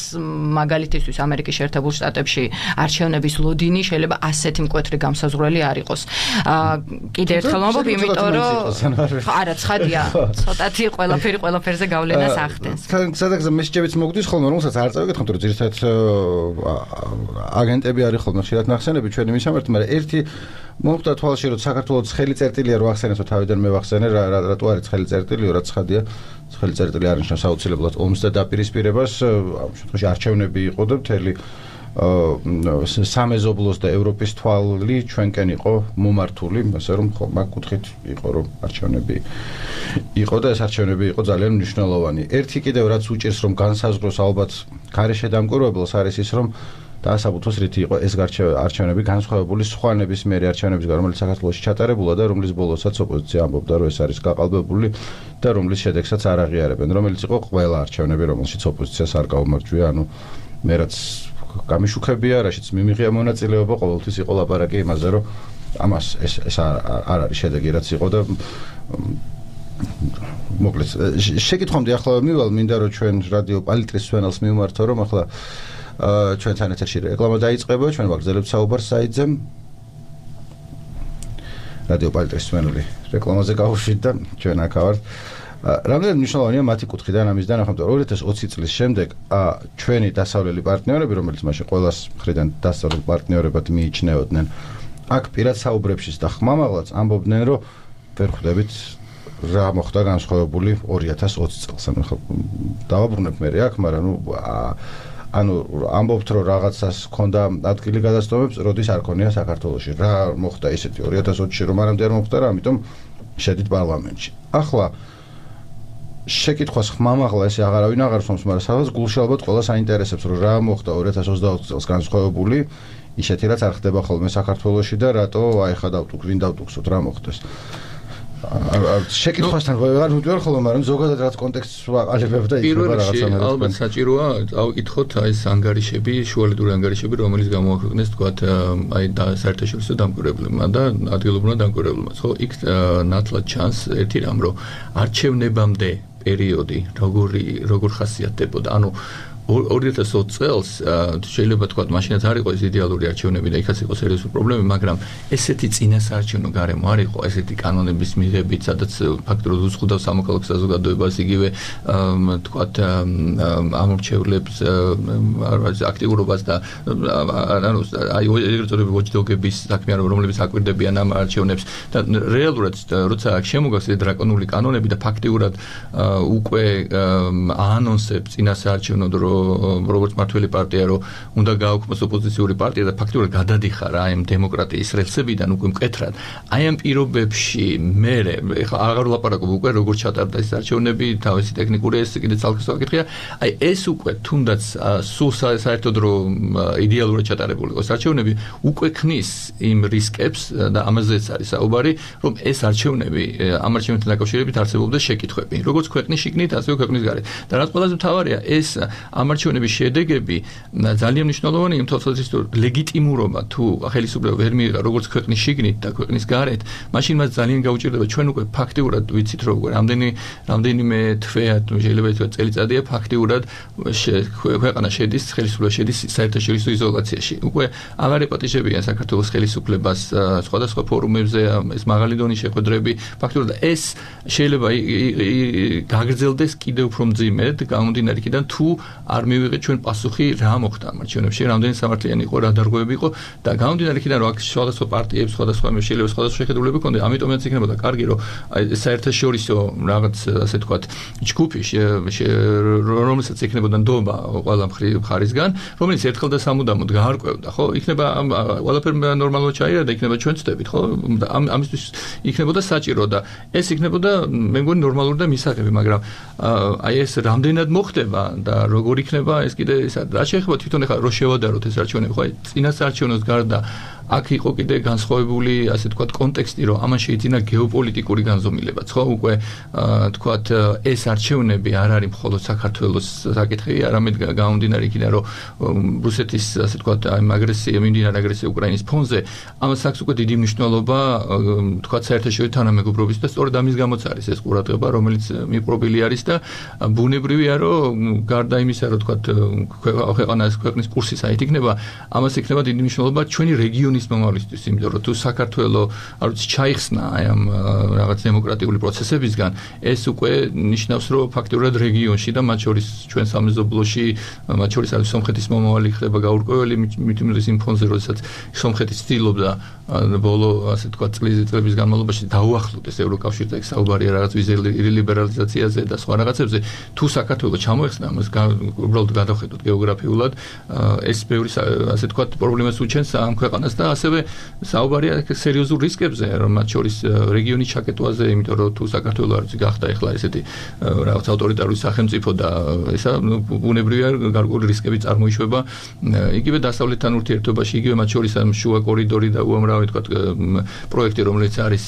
მაგალითისთვის ამერიკის შეერთებულ შტატებში არჩევნების ლოდინი შეიძლება ასეთი მკვეთრი გამსაზღვრელი არ იყოს. კიდე ერთხელ ვამბობ, იმიტომ რომ არა ცხადია, ცოტათი ყველაფერი ყველაფერზე გავლენას ახდენს. სადაც მესეჯებიც მოგდის ხოლმე, რომელსაც არ წავიკითხავთ, რომ ძირითადად აგენტები არის ხოლმე ხშირად ნახსენები ჩვენი მისამართი, მაგრამ ერთი მომხდა თვალში, რომ საქართველოს ხელი წერტილია რო ახსენეს, რომ თავიდან მე ვახსენე, რა რატო არის ხელი წერტილი, რაც ცხადია, ხელი წერტილი არ ნიშნავს აუცილებლად ომს და დაპირისპირებას, ამ შემთხვევაში არჩევნები იყო და მთელი სამეზობლოს და ევროპის თვალი ჩვენკენ იყო მომართული, ასე რომ ხო მაგ კუთხით იყო რომ არჩევნები იყო და ეს არჩევნები იყო ძალიან მნიშვნელოვანი. ერთი კიდევ რაც უჭირს რომ განსაზღვროს ალბათ გარეშე დამკვირვებელს არის ის რომ დაასაბუთოს რითი იყო ეს არჩევნები განსხვავებული სხვა ნებისმიერი არჩევნებისგან, რომელიც საქართველოში ჩატარებულა და რომლის ბოლოსაც ოპოზიცია ამბობდა, რომ ეს არის გაყალბებული და რომლის შედეგსაც არ აღიარებენ, რომელიც იყო ყველა არჩევნები, რომელშიც ოპოზიციას არ გაუმარჯვია, ანუ მე რაც გამიშუქებია, რაშიც მიმიღია მონაწილეობა, ყოველთვის იყო ლაპარაკი იმაზე, რომ ამას ეს ეს არ არის შედეგი, რაც იყო და მოკლედ შეკითხვამდე ახლა მივალ, მინდა რომ ჩვენ რადიო პალიტრის სვენელს მივმართო, რომ ახლა ჩვენთან ეთერში რეკლამა დაიწყება, ჩვენ ვაგრძელებთ საუბარს საიტზე. რადიო პალიტრის სვენელი რეკლამაზე გავუშვით და ჩვენ აქ ვართ. რამდენად მნიშვნელოვანია მათი კუთხიდან ამისდან ახლა ორი ათას ოცი წლის შემდეგ ჩვენი დასავლელი პარტნიორები, რომელიც მაშინ ყველას მხრიდან დასავლელ პარტნიორებად მიიჩნეოდნენ, აქ პირად საუბრებშიც და ხმამაღლაც ამბობდნენ, რომ ვერ ხვდებით რა მოხდა განსხვავებული ორი ათას ოცი წელს. ანუ ხო დავაბრუნებ მე აქ, მაგრამ ნუ ანუ ამბობთ, რომ რაღაცას ჰქონდა ადგილი გადასტომებს, როდის არ ქონია საქართველოში. რა მოხდა ისეთი ორი ათას ოცში რომ არამდე არ მოხდა რა, ამიტომ შედით პარლამენტში. ახლა შეკითხვას ხმამაღლა ესე აღარავინ აღარ სვამს, მაგრამ სადაც გულში ალბათ ყველა საინტერესებს, რომ რა მოხდა ორი ათას ოცდაოთხ წელს განსხვავებული, ისეთი რაც არ ხდება ხოლმე საქართველოში და რატო აი ხა დავტუქ, ვინ დავტუქსოთ, რა მოხდეს. შეკითხვასთან ვეღარ მივდივარ ხოლმე, მაგრამ ზოგადად რაც კონტექსტს ვაყალიბებ და იქნება რაღაცა მე. ალბათ საჭიროა ავიკითხოთ აი ეს ანგარიშები, შუალედური ანგარიშები, რომელიც გამოაქვეყნეს თქვათ აი საერთაშორისო დამკვირვებლებმა და ადგილობრივმა დამკვირვებლებმა. ხო, იქ ნათლად ჩანს ერთი რამ, რომ არჩევნებამდე პერიოდი როგორი როგორ ხასიათდებოდა. ანუ ორი ათას ოცი წელს შეიძლება თქვა მაშინაც არ იყო ეს იდეალური არჩევნები და იქაც იყო სერიოზული პრობლემები, მაგრამ ესეთი წინასაარჩევნო გარემო არ იყო, ესეთი კანონების მიღებით, სადაც ფაქტობრივად უზღუდავს სამოქალაქო საზოგადოებას, იგივე თქვა ამორჩევლებს აქტიურობას და ანუ აი ეგრეთ წოდებული watchdog-ების საქმე, რომლებიც აკვირდებიან ამ არჩევნებს და რეალურად როცა შემოგაქვს ეს დრაკონული კანონები და ფაქტიურად უკვე აანონსებს წინასაარჩევნო დრო როგორც მართველი პარტია რომ უნდა გააუქმოს ოპოზიციური პარტია და ფაქტობრივად გადადიხარ აი ამ დემოკრატიის რელსებიდან უკვე მკეთრად. აი ამ პირობებში მე ხა აღარ ვლაპარაკობ უკვე როგორც ჩატარდა ეს არჩევნები, თავისი ტექნიკური ეს კიდე ცალკე საკითხია. აი ეს უკვე თუნდაც სულ საერთოდ რომ იდეალურად ჩატარებული იყოს არჩევნები, უკვე ქმნის იმ რისკებს და ამაზეც არის საუბარი, რომ ეს არჩევნები ამ არჩევნებთან დაკავშირებით არსებობდეს შეკითხვები, როგორც ქვეყნის შიგნით, ასევე ქვეყნის გარეთ. და რაც ყველაზე მთავარია, ეს ამ არჩევნების შედეგები ძალიან მნიშვნელოვანია იმ თვალსაზრისით, რომ ლეგიტიმურობა თუ ხელისუფლება ვერ მიიღა როგორც ქვეყნის შიგნით და ქვეყნის გარეთ, მაშინ მას ძალიან გაუჭირდება. ჩვენ უკვე ფაქტიურად ვიცით, რომ უკვე რამდენი რამდენიმე თვეა, შეიძლება ითქვას წელიწადია ფაქტიურად ქვეყანა შედის, ხელისუფლება შედის საერთაშორისო იზოლაციაში. უკვე აღარ ეპატიჟებიან საქართველოს ხელისუფლებას სხვადასხვა ფორუმებზე ეს მაღალი დონის შეხვედრები, ფაქტიურად ეს შეიძლება გაგრძელდეს კიდევ უფრო მძიმედ, გამომდინარე იქიდან თუ არ მივიღეთ ჩვენ პასუხი რა მოხდა ამ არჩევნებში, რამდენი სამართლიანი იყო, რა დარღვევები იყო და გამომდინარე იქიდან რომ აქ სხვადასხვა პარტიებს, სხვადასხვა შეიძლება სხვადასხვა შეხედულებები ჰქონდა, ამიტომაც იქნებოდა კარგი რომ საერთაშორისო რაღაც ასე თქვათ ჯგუფი რომელსაც იქნებოდა ნდობა ყველა მხარისგან, რომელიც ერთხელ და სამუდამოდ გაარკვევდა, ხო? იქნება ყველაფერი ნორმალურად ჩაირა და იქნება ჩვენ ვწდებით, ხო? ამისთვის იქნებოდა საჭირო და ეს იქნებოდა მე მგონი ნორმალური და მისაღები, მაგრამ აი ეს რამდენად მოხდება და როგორ იქნება ეს კიდე ეს რა შეიძლება თვითონ ახლა რო შევადაროთ ეს არჩევნები, ხო? წინასაარჩევნოს გარდა აქ იყო კიდე განსხვავებული, ასე თქვათ, კონტექსტი, რომ ამან შეიძინა გეოპოლიტიკური განზომილებაც, ხო? უკვე თქვათ ეს არჩევნები არ არის მხოლოდ საქართველოს საკითხი, არამედ გამომდინარე იქიდან, რომ რუსეთის, ასე თქვათ, ამ აგრესია, მიმდინარე აგრესია უკრაინის ფონზე, ამას აქვს უკვე დიდი მნიშვნელობა, თქვათ, საერთაშორისო თანამეგობრობის და სწორედ ამის გამოც არის ეს ყურადღება, რომელიც მიპყრობილი არის და ბუნებრივია, რომ გარდა იმისა, რომ თქვათ, ქვეყანას ქვეყნის კურსი საით იქნება, ამას იქნება დიდი მნიშვნელობა ჩვენი რეგიონის მომავლისთვის, იმიტომ რომ თუ საქართველო არ ვიცი ჩაიხსნა აი ამ რაღაც დემოკრატიული პროცესებისგან, ეს უკვე ნიშნავს, რომ ფაქტობრივად რეგიონში და მათ შორის ჩვენ სამეზობლოში, მათ შორის არის სომხეთის მომავალი ხდება გაურკვეველი, მით უმეტეს იმ ფონზე, როდესაც სომხეთი ცდილობდა ბოლო ასე თქვა წლის წლების განმავლობაში დაუახლოვდეს ევროკავშირს და საუბარია რაღაც ვიზის ლიბერალიზაციაზე და სხვა რაღაცებზე, თუ საქართველოს ჩამოეხსნა ამას უბრალოდ გადავხედოთ გეოგრაფიულად, ეს ბევრი ასე თქვა პრობლემას უჩენს ამ ქვეყანას და ასევე საუბარია სერიოზულ რისკებზე, რომ მათ შორის რეგიონის ჩაკეტვაზე, იმიტომ რომ თუ საქართველო არ ვიცი გახდა ეხლა ესეთი რაღაც ავტორიტარული სახელმწიფო და ესა ბუნებრივია გარკვეული რისკები წარმოიშვება იგივე დასავლეთთან ურთიერთობაში, იგივე მათ შორის ამ შუა კორიდორი და უამრავი თქვა პროექტი, რომელიც არის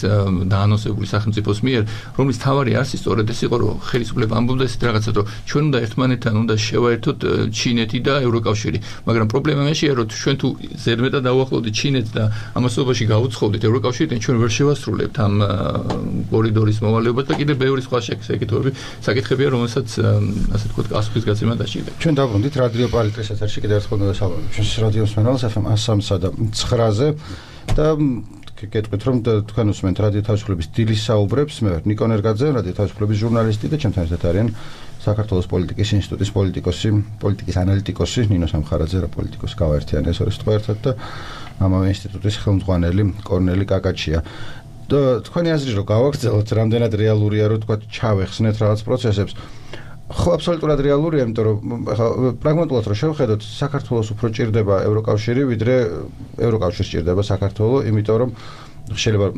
დაანონსებული სახელმწიფოს მიერ, რომლის თავარი არსი სწორედ ეს იყო, რომ ხელისუფლება ამბობდა ესეთ რაღაცას, რომ ჩვენ უნდა ერთმანეთთან უნდა შევაერთოთ ჩინეთი და ევროკავშირი, მაგრამ პრობლემა მეშია, რომ ჩვენ თუ ზედმეტად დავუახლოვდით ჩინეთს და ამასობაში გაუცხოვდით ევროკავშირიდან, ჩვენ ვერ შევასრულებთ ამ კორიდორის მოვალეობას და კიდევ ბევრი სხვა საკითხები, საკითხებია, რომელსაც ასე თქვა გასვლის გაცემა დაჭირდება. ჩვენ დავბრუნდით რადიო პალიტრის ეთერში კიდევ ერთხელ მოგესალმებით. ჩვენს რადიოს მენელს ეფ ემ one oh three და ცხრაზე და გეტყვით რომ თქვენ უსმენთ რადიო თავისუფლების დილის საუბრებს. მე ვარ ნიკო ნერგაძე, რადიო თავისუფლების ჟურნალისტი და ჩემთან ერთად არიან საქართველოს პოლიტიკის ინსტიტუტის პოლიტიკოსი, პოლიტიკის ანალიტიკოსი ნინო სამხარაძე და პოლიტიკოსი გავაერთიანე ეს ორი სიტყვა ერთად და ამავე ინსტიტუტის ხელმძღვანელი კორნელი კაკაჩია. და თქვენი აზრი რომ გავაგრძელოთ, რამდენად რეალურია რომ თქვა ჩავეხსნეთ რაღაც პროცესებს. ხო, აბსოლუტურად რეალურია, იმიტომ რომ პრაგმატულად რომ შევხედოთ, საქართველოს უფრო ჭირდება ევროკავშირი, ვიდრე ევროკავშირს ჭირდება საქართველო, იმიტომ რომ შეიძლება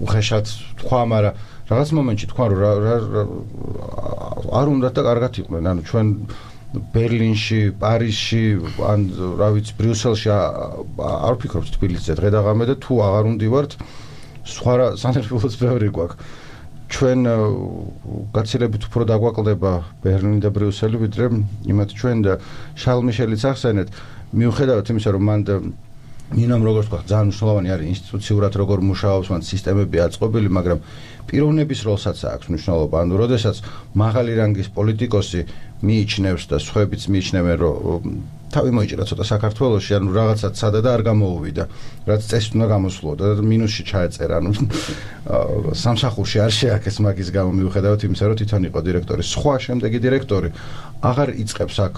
უხეშად თქვა, მაგრამ რაღაც მომენტში თქვა რომ არ უნდა და კარგად იყვნენ, ანუ ჩვენ ბერლინში, პარიზში, ან რა ვიცი, ბრიუსელში არ ვფიქრობთ თბილისზე დღე და ღამე და თუ აღარ უნდივართ, სხვა სანერვიულოც ბევრი გვაქვს. ჩვენ გაცილებით უფრო დაგვაკლდება ბერლინი და ბრიუსელი, ვიდრე იმათ ჩვენ და შარლ მიშელიც ახსენეთ, მიუხედავად იმისა, რომ მან ნინომ როგორც თქვა, ძალიან მნიშვნელოვანი არის ინსტიტუციურად როგორ მუშაობს, მან სისტემები აწყობილი, მაგრამ პიროვნების როლსაც აქვს მნიშვნელობა. ანუ როდესაც მაღალი რანგის პოლიტიკოსი მიიჩნევს და სხვაებიც მიიჩნევენ, რომ თავი მოიჭრა ცოტა საქართველოში, ანუ რაღაცა ცადა და არ გამოუვიდა, რაც წესით უნდა გამოსულოდა და მინუსში ჩაეწერა, ანუ სამსახურში არ შეაქეს მაგის გამო, მიუხედავად იმისა, რომ თვითონ იყო დირექტორი. სხვა შემდეგი დირექტორი აღარ იწყებს აქ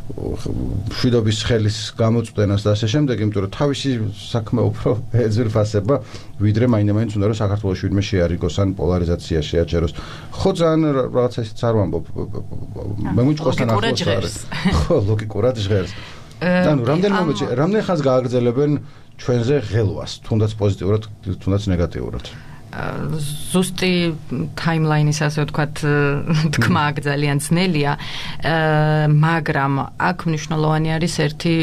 მშვიდობის ხელის გამოწვდენას და ასე შემდეგ, იმიტომ რომ თავისი საქმე უფრო ეძვირფასება, ვიდრე მაინდა-მაინც უნდა რომ საქართველოში ვინმე შეარიგოს ან პოლარიზაცია შეაჩეროს. ხო, ძალიან რაღაცა ისიც არ ვამბობ. მე მუჭკოსთან ახლოს არის. ხო, ლოგიკურად ჟღერს. ანუ რამდენ მომენტში, რამდენ ხანს გააგრძელებენ ჩვენზე ღელვას, თუნდაც პოზიტიურად, თუნდაც ნეგატიურად. ზუსტი ტაიმლაინის ასე ვთქვათ თქმა ძალიან ძნელია, მაგრამ აქ მნიშვნელოვანი არის ერთი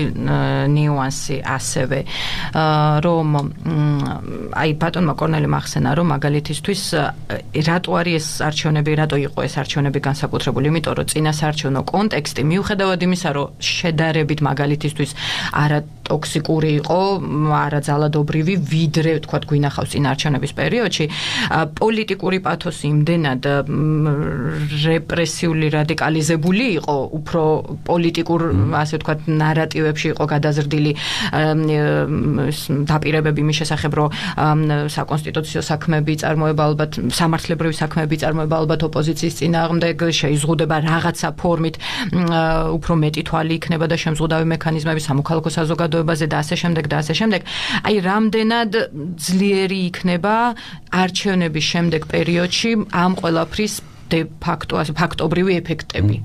ნიუანსი ასევე, რომ აი ბატონმა კორნელიმ ახსენა, რომ მაგალითისთვის რატო არის ეს არჩევნები, რატო იყო ეს არჩევნები განსაკუთრებული, იმიტომ რომ წინასაარჩევნო კონტექსტი მიუხედავად იმისა, რომ შედარებით მაგალითისთვის არა ტოქსიკური იყო, არა ძალადობრივი, ვიდრე ვთქვათ გვინახავს წინარჩევნების პერიოდში, პოლიტიკური პათოსი იმდენად რეპრესიული რადიკალიზებული იყო, უფრო პოლიტიკურ ასე ვთქვათ ნარატივებში იყო გადაზრდილი დაპირებები მის შესახებ, რომ საკონსტიტუციო საქმეები წარმოება ალბათ, სამართლებრივი საქმეები წარმოება ალბათ ოპოზიციის წინააღმდეგ, შეიზღუდება რაღაცა ფორმით, უფრო მეტი თვალი იქნება და შემზღუდავი მექანიზმები სამოქალაქო საზოგადოებაზე და ასე შემდეგ და ასე შემდეგ. აი, რამდენად ძლიერი იქნება არჩევნების შემდეგ პერიოდში ამ ყველაფრის de facto, ფაქტობრივი ეფექტები.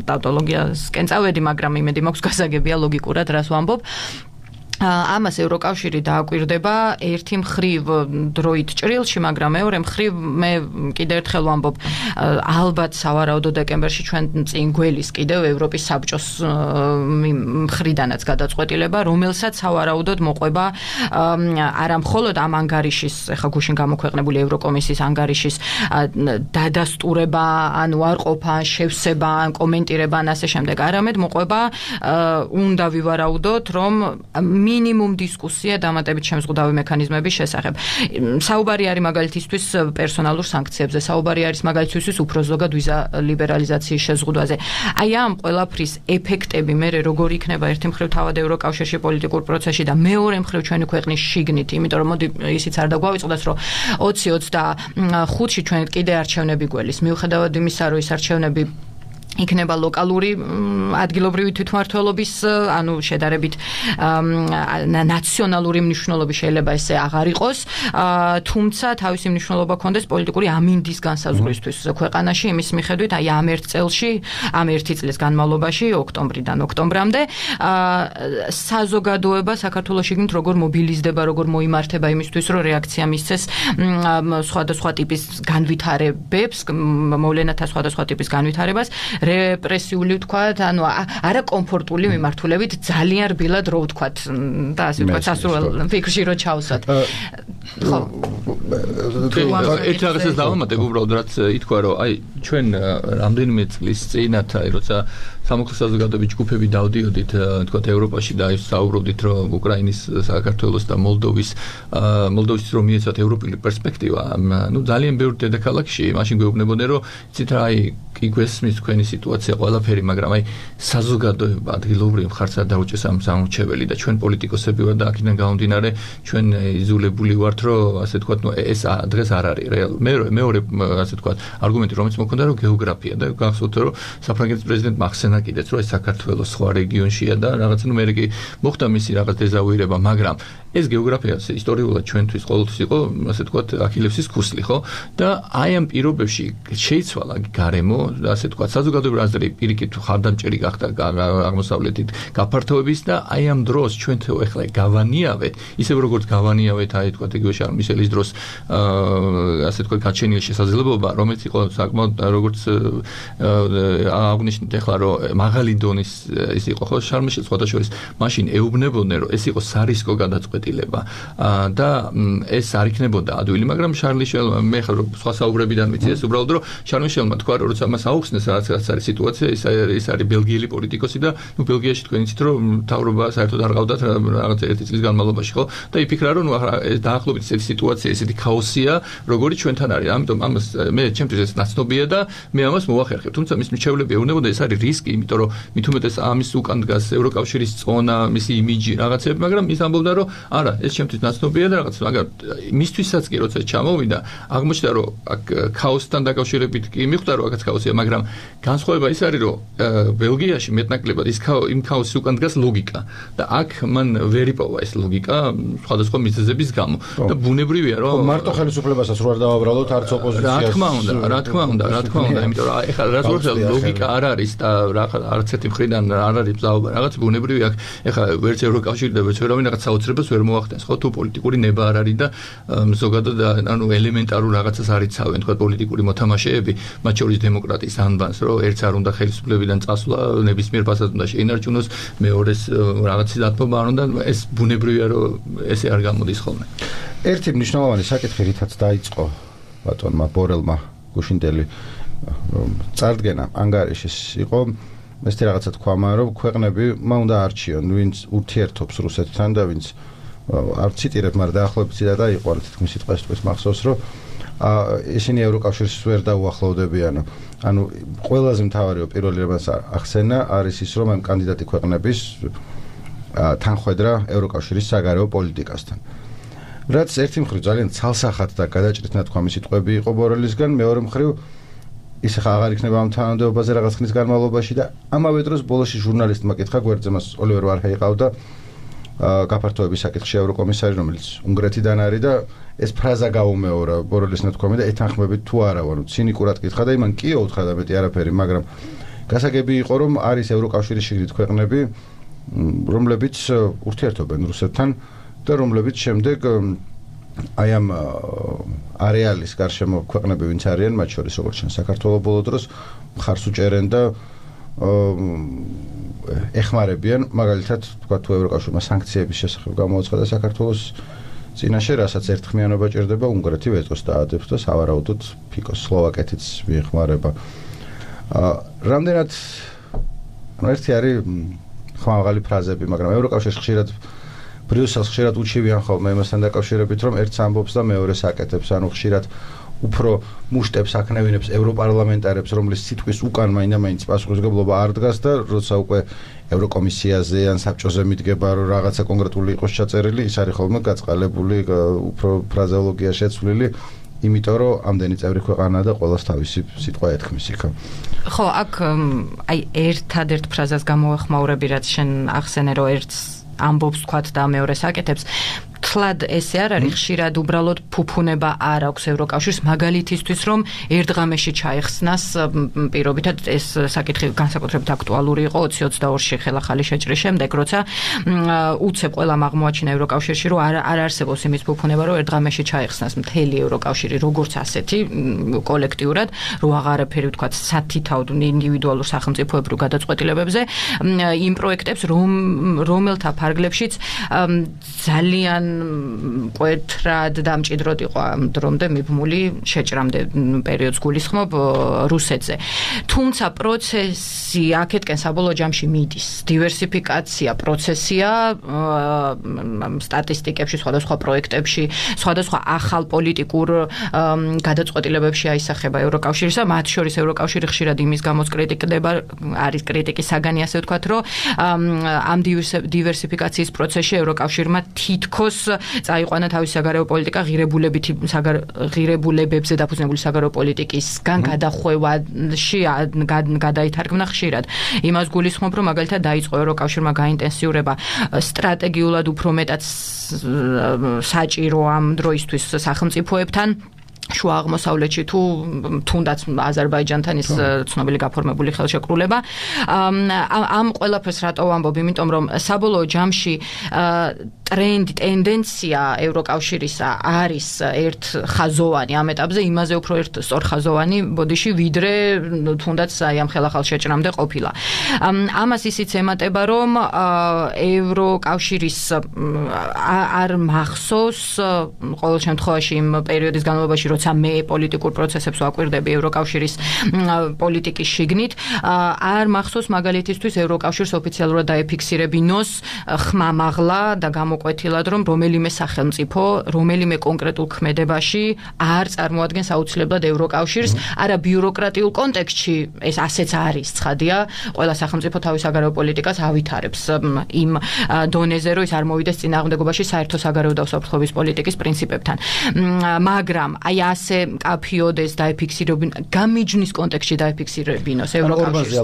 ტავტოლოგიასკენ წავედი, მაგრამ იმედი მაქვს გასაგებია ლოგიკურად რას ვამბობ. ამას ევროკავშირი დააკვირდება ერთი მხრივ დროით ჭრილში, მაგრამ მეორე მხრივ მე კიდევ ერთხელ ვამბობ, ალბათ სავარაუდო დეკემბერში ჩვენ წინ გველის კიდევ ევროპის საბჭოს მხრიდანაც გადაწყვეტილება, რომელსაც სავარაუდოდ მოყვება არა მხოლოდ ამ ანგარიშის, ეხლა გუშინ გამოქვეყნებული ევროკომისიის ანგარიშის დადასტურება, ან უარყოფა, შევსება, ან კომენტირება, ან ასე შემდეგ, არამედ მოყვება უნდა ვივარაუდოთ, რომ მინიმუმ დისკუსია დამატებით შემზღუდავი მექანიზმების შესახებ. საუბარი არის მაგალითისთვის პერსონალურ სანქციებზე, საუბარი არის მაგალითისთვის უფრო ზოგად ვიზა ლიბერალიზაციის შეზღუდვაზე. აი ამ ყველაფრის ეფექტები მე როგორ იქნება ერთი მხრივ თავად ევროკავშირში პოლიტიკურ პროცესში და მეორე მხრივ ჩვენი ქვეყნის შიგნით, იმიტომ რომ მოდი ისიც არ დაგვავიწყდეს, რომ ოცი ოცდახუთში ჩვენ კიდე არჩევნები გველის, მიუხედავად იმისა, რომ ის არჩევნები იქნება ლოკალური ადგილობრივი თვითმმართველობის, ანუ შედარებით ნაციონალური მნიშვნელობის შეიძლება ესე აღარ იყოს, თუმცა თავისი მნიშვნელობა ჰქონდეს პოლიტიკური ამინდის განსაზღვრისთვის ქვეყანაში, იმის მიხედვით, აი ამ ერთ წელში, ამ ერთი წლის განმავლობაში, ოქტომბრიდან ოქტომბრამდე, საზოგადოება საქართველოში გინდ როგორ მობილიზდება, როგორ მოიმართება იმისთვის, რომ რეაქცია მისცეს სხვადასხვა ტიპის განვითარებებს, მოვლენათა სხვადასხვა ტიპის განვითარებას, რეპრესიული ვთქვათ, ანუ არაკომფორტული მიმართულებით ძალიან რბილად რო ვთქვათ და ასე ვთქვათ, სასურველ ფიქრში რო ჩავსვათ. ხო. ერთ რაღაცას დავამატებ უბრალოდ, რაც ითქვა, რომ აი ჩვენ რამდენიმე წლის წინათ, აი როცა სამოქალაქო საზოგადოების ჯგუფები დავდიოდით, ვთქვათ, ევროპაში და საუბრობდით, რომ უკრაინის, საქართველოს და მოლდოვის მოლდოვის რომ მიეცათ ევროპული პერსპექტივა, ну ძალიან ბევრ დედაქალაქში მაშინ გვეუბნებოდნენ, რომ იცით რა, აი კი გვესმის თქვენი სიტუაცია ყველაფერი, მაგრამ აი საზოგადოება ადგილობრივ მხარს არ დაუჭეს ამ სამრჩეველი და ჩვენ პოლიტიკოსები ვართ და აქედან გამომდინარე ჩვენ იზოლებული ვართ, რომ ასე ვთქვათ, ну ეს დღეს არ არის რეალური. მე მეორე ასე ვთქვათ, არგუმენტი რომელიც მოქონდა, რომ გეოგრაფია და გახსოვთ, რომ საფრანგეთის პრეზიდენტმა ახსენა კიდეც, რომ ეს საქართველოს სხვა რეგიონშია და რაღაცა, ну მე კი მოხდა მისი რაღაც დეზავუირება, მაგრამ ეს გეოგრაფია ისტორიულად ჩვენთვის ყოველთვის იყო, ასე ვთქვათ, აქილევსის ქუსლი, ხო? და აი ამ პირობებში შეიცვალა გარემო, ასე ვთქვათ, საზოგადოებრივი აზრი პირიქით ხარდამჭერი გახდა აღმოსავლეთით გაფართოების და აი ამ დროს ჩვენ ეხლა გავანიავეთ, ისევ როგორც გავანიავეთ, აი ვთქვათ, იგივე შარლ მიშელის დროს, ასე ვთქვათ, გაჩენილი შესაძლებლობა, რომელიც იყო საკმაოდ როგორც აღნიშნეთ ეხლა, რომ მაღალი დონის ის იყო, ხო, შარლ მიშელს სხვადასხვა მაშინ ეუბნებოდნენ, რომ ეს იყო სარისკო გადაწყვეტილება და ეს არ იქნებოდა ადვილი, მაგრამ შარლ მიშელმა მე ხარ სხვა საუბრებიდან ვიცი ეს უბრალოდ, რომ შარლ მიშელმა თქვა, რომ როცა მას აუხსნეს რაც რაც არის სიტუაცია, ის ის არის ბელგიელი პოლიტიკოსი და ნუ ბელგიაში თქვენ იცით, რომ მთავრობა საერთოდ არ ყავდათ რაღაც ერთი წლის განმავლობაში, ხო? და იფიქრა, რომ ნუ ეს დაახლოებით ესეთი სიტუაცია, ესეთი ქაოსია, როგორიც ჩვენთან არის. ამიტომ ამას მე ჩემთვის ეს ნაცნობია და მე ამას მოვახერხებ. თუმცა მის მრჩევლები ეუბნებოდა, ეს არის რისკი, იმიტომ რომ მით უმეტეს ამის უკან დგას ევროკავშირის წონა, მისი იმიჯი, რაღაცები, მაგრამ ის ამბობდა, რომ არა, ეს ჩემთვის ნაცნობია და რაღაც, მაგრამ მისთვისაც კი როცა ჩამოვიდა, აღმოჩნდა, რომ აქ ქაოსთან დაკავშირებით კი მიხვდა, რომ აქაც ქაოსია, მაგრამ განსხვავება ის არის, რომ ბელგიაში მეტნაკლებად ის იმ ქაოსის უკან დგას ლოგიკა და აქ მან ვერ იპოვა ეს ლოგიკა სხვადასხვა მიზეზების გამო და ბუნებრივია, რომ მარტო ხელისუფლებასაც რო არ დავაბრალოთ არც ოპოზიციას. რა თქმა უნდა, რა თქმა უნდა, რა თქმა უნდა, იმიტომ რომ ეხლა რაც ვთქვი, ლოგიკა არ არის და არც ერთი მხრიდან არ არის მზაობა, რაღაც ბუნებრივი აქ ეხლა ვერც ევროკავშირი და ვერც ვერავინ რაღაც საოცრებას ვერ მოახდენს, ხო, თუ პოლიტიკური ნება არ არის და ზოგადად ანუ ელემენტარულ რაღაცას არ იცავენ, თქვა პოლიტიკური მოთამაშეები, მათ შორის დემოკრატიის ანბანს, რომ ერთს არ უნდა ხელისუფლებიდან წასვლა, ნებისმიერ ფასად უნდა შეინარჩუნოს, მეორეს რაღაცის დათმობა არ უნდა, ეს ბუნებრივია, რომ ესე არ გამოდის ხოლმე. ერთი მნიშვნელოვანი საკითხი რითაც დაიწყო ბატონმა ბორელმა გუშინდელი წარდგენა ანგარიშის იყო, ეს რაღაცა თქვა, რომ ქვეყნები მა უნდა არჩიონ, ვინც ურთიერთობს რუსეთთან და ვინც არ ციტირებ, მაგრამ დაახლოებით ციტატა იყო, თითქმის სიტყვას თქვის მახსოვს, რომ ისინი ევროკავშირს ვერ დაუახლოვდებიან. ანუ ყველაზე მთავარი პირველი რამაც ახსენა არის ის, რომ ამ კანდიდატი ქვეყნების თანხვედრა ევროკავშირის საგარეო პოლიტიკასთან. რაც ერთი მხრივ ძალიან ცალსახად და გადაჭრით ნათქვამი სიტყვები იყო ბორელისგან, მეორე მხრივ ის ახლა აღარ იქნება ამ თანამდებობაზე რაღაც ხნის განმავლობაში და ამავე დროს ბოლოში ჟურნალისტმა კითხა გვერდზე, მას ოლივერ ვარჰეი ყავდა, გაფართოების საკითხში ევროკომისარი, რომელიც უნგრეთიდან არის და ეს ფრაზა გაუმეორა ბორელის ნათქვამი და ეთანხმებით თუ არა, ანუ ცინიკურად კითხა და იმან კი უთხრა და მეტი არაფერი, მაგრამ გასაგები იყო, რომ არის ევროკავშირის შიგნით ქვეყნები, რომლებიც ურთიერთობენ რუსეთთან და რომლებიც შემდეგ აი ამ არეალის გარშემო ქვეყნები ვინც არიან, მათ შორის როგორც ჩვენ საქართველოს ბოლო დროს მხარს უჭერენ და ეხმარებიან, მაგალითად, თქვა თუ ევროკავშირმა სანქციების შესახებ გამოაცხადა საქართველოს წინაშე, რასაც ერთხმიანობა ჭირდება, უნგრეთი ვეტოს დაადებს და სავარაუდოდ ფიქოს სლოვაკეთიც მიეხმარება. რამდენად ანუ ერთი არის ხმამაღალი ფრაზები, მაგრამ ევროკავშირს ხშირად ბრიუსელს ხშირად უჩივიან ხოლმე იმასთან დაკავშირებით, რომ ერთს ამბობს და მეორეს აკეთებს, ანუ ხშირად უფრო მუშტებს აკნევინებს ევროპარლამენტარებს, რომლის სიტყვის უკან მაინდა-მაინც პასუხისმგებლობა არ დგას და როცა უკვე ევროკომისიაზე ან საბჭოზე მიდგება, რომ რაღაცა კონკრეტული იყოს ჩაწერილი, ის არის ხოლმე გაწყალებული, უფრო ფრაზეოლოგია შეცვლილი იმიტომ რომ ამდენი წევრი ქვეყანა და ყველას თავისი სიტყვა ეთქმის იქ. ხო, აქ აი ერთადერთ ფრაზას გამოვეხმაურები, რაც შენ ახსენე, რომ ერთს ამბობს თქვათ და მეორეს აკეთებს. თლად ესე არ არის, ხშირად უბრალოდ ფუფუნება არ აქვს ევროკავშირს, მაგალითისთვის რომ ერთ ღამეში ჩაეხსნას პირობითად ეს საკითხი განსაკუთრებით აქტუალური იყო ოცი ოცდაორში ხელახალი შეჭრის შემდეგ, როცა უცებ ყველამ აღმოაჩინა ევროკავშირში, რომ არ არ არსებობს იმის ფუფუნება, რომ ერთ ღამეში ჩაეხსნას მთელი ევროკავშირი როგორც ასეთი კოლექტიურად, რო აღარაფერი ვთქვათ სათითაოდ ინდივიდუალურ სახელმწიფოებრივ გადაწყვეტილებებზე, იმ პროექტებს რომ რომელთა ფარგლებშიც ძალიან მკვეთრად და მჭიდროდ იყო ამ დრომდე მიბმული შეჭრამდე პერიოდს გულისხმობ რუსეთზე. თუმცა პროცესი აქეთკენ საბოლოო ჯამში მიდის. დივერსიფიკაცია პროცესია სტატისტიკებში, სხვადასხვა პროექტებში, სხვადასხვა ახალ პოლიტიკურ გადაწყვეტილებებში აისახება ევროკავშირისა, მათ შორის ევროკავშირი ხშირად იმის გამოც კრიტიკდება, არის კრიტიკის საგანი, ასე ვთქვათ, რომ ამ დივერსიფიკაციის პროცესში ევროკავშირმა თითქოს წაიყვანა თავის საგარეო პოლიტიკა ღირებულებითი ღირებულებებზე დაფუძნებული საგარეო პოლიტიკისგან გადახვევაში გადაითარგმნა ხშირად. იმას გულისხმობ, რომ მაგალითად დაიწყო ევროკავშირმა გაინტენსიურება სტრატეგიულად უფრო მეტად საჭირო ამ დროისთვის სახელმწიფოებთან შუა აღმოსავლეთში თუ თუნდაც აზერბაიჯანთან ის ცნობილი გაფორმებული ხელშეკრულება. ამ ყველაფერს რატო ვამბობ? იმიტომ რომ საბოლოო ჯამში ტრენდი, ტენდენცია ევროკავშირისა არის ერთ ხაზოვანი ამ ეტაპზე, იმაზე უფრო ერთ სწორხაზოვანი ბოდიში, ვიდრე თუნდაც აი ამ ხელახალ შეჭრამდე ყოფილა. ამას ისიც ემატება, რომ ევროკავშირის არ მახსოვს ყოველ შემთხვევაში იმ პერიოდის განმავლობაში, როცა მე პოლიტიკურ პროცესებს ვაკვირდები ევროკავშირის პოლიტიკის შიგნით, არ მახსოვს მაგალითისთვის ევროკავშირს ოფიციალურად დაეფიქსირებინოს ხმამაღლა და გამოკვეთილად, რომ რომელიმე სახელმწიფო, რომელიმე კონკრეტულ ქმედებაში არ წარმოადგენს აუცილებლად ევროკავშირს, არა ბიუროკრატიულ კონტექსტში, ეს ასეც არის, ცხადია, ყველა სახელმწიფო თავის საგარეო პოლიტიკას ავითარებს იმ დონეზე, რომ ის არ მოვიდეს წინააღმდეგობაში საერთო საგარეო და უსაფრთხოების პოლიტიკის პრინციპებთან. მაგრამ აი ასე კაფიოდეს დაეფიქსირებინ, გამიჯვნის კონტექსტში დაეფიქსირებინოს ევროკავშირს.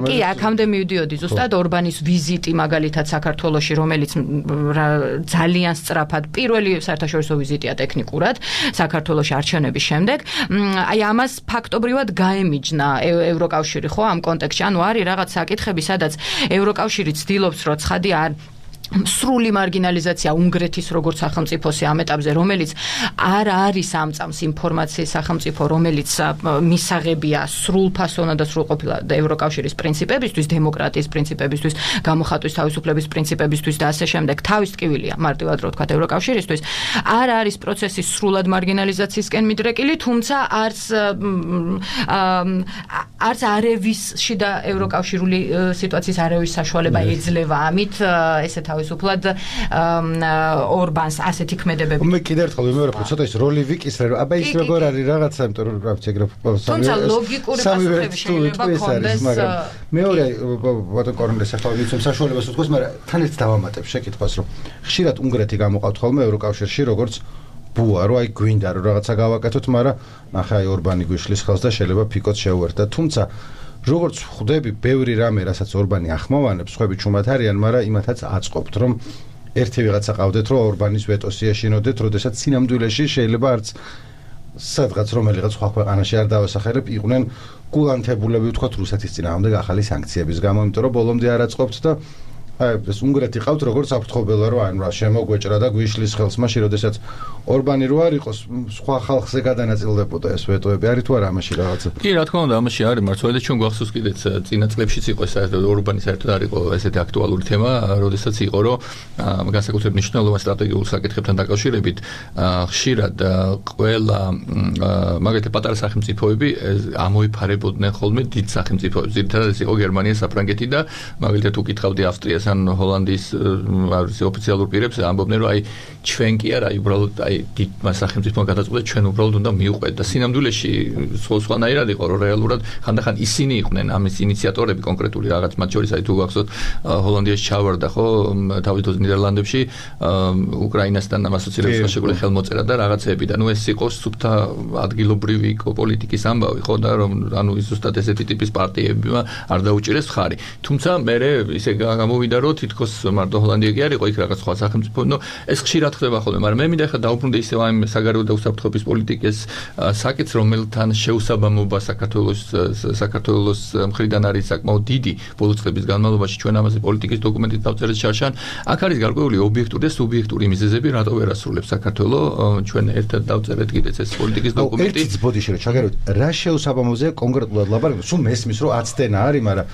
კი, აქამდე მივდიოდი ზუსტად ორბანის ვიზიტი მაგალითად საქართველოში, რომელიც ძალიან სწრაფად პირველი საერთაშორისო ვიზიტია ტექნიკურად საქართველოში არჩევნების შემდეგ. აი ამას ფაქტობრივად გაემიჯნა ევროკავშირი, ხო, ამ კონტექსტში. ანუ არის რაღაც საკითხები, სადაც ევროკავშირი ცდილობს, რომ ცხადი არ სრული მარგინალიზაცია უნგრეთის როგორც სახელმწიფოსი ამ ეტაპზე, რომელიც არ არის ამწამს ინფორმაციის სახელმწიფო, რომელიც მისაღებია სრულფასოვნად და სრულყოფილად ევროკავშირის პრინციპებისთვის, დემოკრატიის პრინციპებისთვის, გამოხატვის თავისუფლების პრინციპებისთვის და ასე შემდეგ. თავის ტკივილია, მარტივად რო ვთქვათ, ევროკავშირისთვის. არ არის პროცესი სრულად მარგინალიზაციისკენ მიდრეკილი, თუმცა არც არცარევის შიდა ევროკავშირული სიტუაციისარევის საშუალება ეძლევა. ამით ესე თავისუფლად ორბანს ასეთი ქმედებები. მე კიდევ ერთხელ ვიმეორებ, ცოტა ის როლი ვიკისრე, რომ აბა ის როგორ არის რაღაცა, იმიტომ რომ რა ვიცი, ეგრე თუმცა ლოგიკური პასუხები შეიძლება ქონდეს. მაგრამ მეორე ბატონ კორნელის ახლა ვიცი საშუალებას უძღვეს, მაგრამ თან ერთ დავამატებ შეკითხვას, რომ ხშირად უნგრეთი გამოყავთ ხოლმე ევროკავშირში, როგორც ბუა, რომ აი გვინდა რომ რაღაცა გავაკეთოთ, მაგრამ ნახე აი ორბანი გვიშლის ხელს და შეიძლება ფიკოც შეუერთდა. თუმცა როგორც ხვდები, ბევრი რამე, რასაც ორბანი ახმოვანებს, ხვები ჩუმად არიან, მაგრამ იმათაც აწყობთ, რომ ერთი ვიღაცა ყავდეთ, რომ ორბანის ვეტოს იაშინოდეთ, როდესაც სინამდვილეში შეიძლება არც სადღაც რომელიღაც სხვა ქვეყანაში არ დავასახელებ, იყვნენ გულანთებულები, ვთქვათ, რუსეთის წინააღმდეგ ახალი სანქციების გამო, იმიტომ რომ ბოლომდე არ აწყობთ და აი ეს უნგრეთი ყავთ როგორც აფრთხობელა, რომ ანუ რა შემოგვეჭრა და გვიშლის ხელს, მაშინ როდესაც ორბანი რო არ იყოს, სხვა ხალხზე გადანაწილდებოდა ეს ვეტოები, არის თუ არა ამაში რაღაცა? კი, რა თქმა უნდა, ამაში არის მართლა და ჩვენ გვახსოვს კიდეც წინა წლებშიც იყო საერთოდ ორბანი საერთოდ არ იყო ესეთი აქტუალური თემა, როდესაც იყო, რომ განსაკუთრებით მნიშვნელოვან სტრატეგიულ საკითხებთან დაკავშირებით ხშირად ყველა მაგალითად პატარა სახელმწიფოები ამოიფარებოდნენ ხოლმე დიდ სახელმწიფოებს. ძირითადად ეს იყო გერმანია, საფრანგეთი და მაგალითად უკითხავდი ავსტრიას პრემიერს ან ჰოლანდიის ოფიციალურ პირებს ამბობდნენ რომ აი ჩვენ კი არა აი უბრალოდ აი დიდმა სახელმწიფომ გადაწყვეტა ჩვენ უბრალოდ უნდა მივყვეთ და სინამდვილეში სხვა სხვანაირად იყო რომ რეალურად ხანდახან ისინი იყვნენ ამის ინიციატორები კონკრეტული რაღაც მათ შორის აი თუ გახსოვთ ჰოლანდიაში ჩავარდა ხო თავის დროს ნიდერლანდებში უკრაინასთან ასოცირების შეგვიძლია ხელმოწერა და რაღაცეები და ნუ ეს იყო სუფთა ადგილობრივი პოლიტიკის ამბავი ხო და რომ ანუ ზუსტად ესეთი ტიპის პარტიები არ დაუჭირეს ხარი თუმცა მე ისე გამოვიდა რომ თითქოს მარტო ჰოლანდია კი არ იყო იქ რაღაც სხვა სახელმწიფო ნუ ეს ხშირად ხდება ხოლმე მაგრამ მე მინდა ხა დაუბრუნდე ისევ ამ საგარეო და უსაფრთხოების პოლიტიკის საკითხს რომელთან შეუსაბამობა საქართველოს საქართველოს მხრიდან არის საკმაოდ დიდი ბოლო წლების განმავლობაში ჩვენ ამაზე პოლიტიკის დოკუმენტით დავწერეთ შარშან აქ არის გარკვეული ობიექტური და სუბიექტური მიზეზები რატო ვერ ასრულებს საქართველო ჩვენ ერთად დავწერეთ კიდეც ეს პოლიტიკის დოკუმენტი ერთიც ბოდიში რომ ჩაგეროთ რა შეუსაბამოზე კონკრეტულად ლაპარაკობთ სულ მესმის რომ აცდენა არის მაგრამ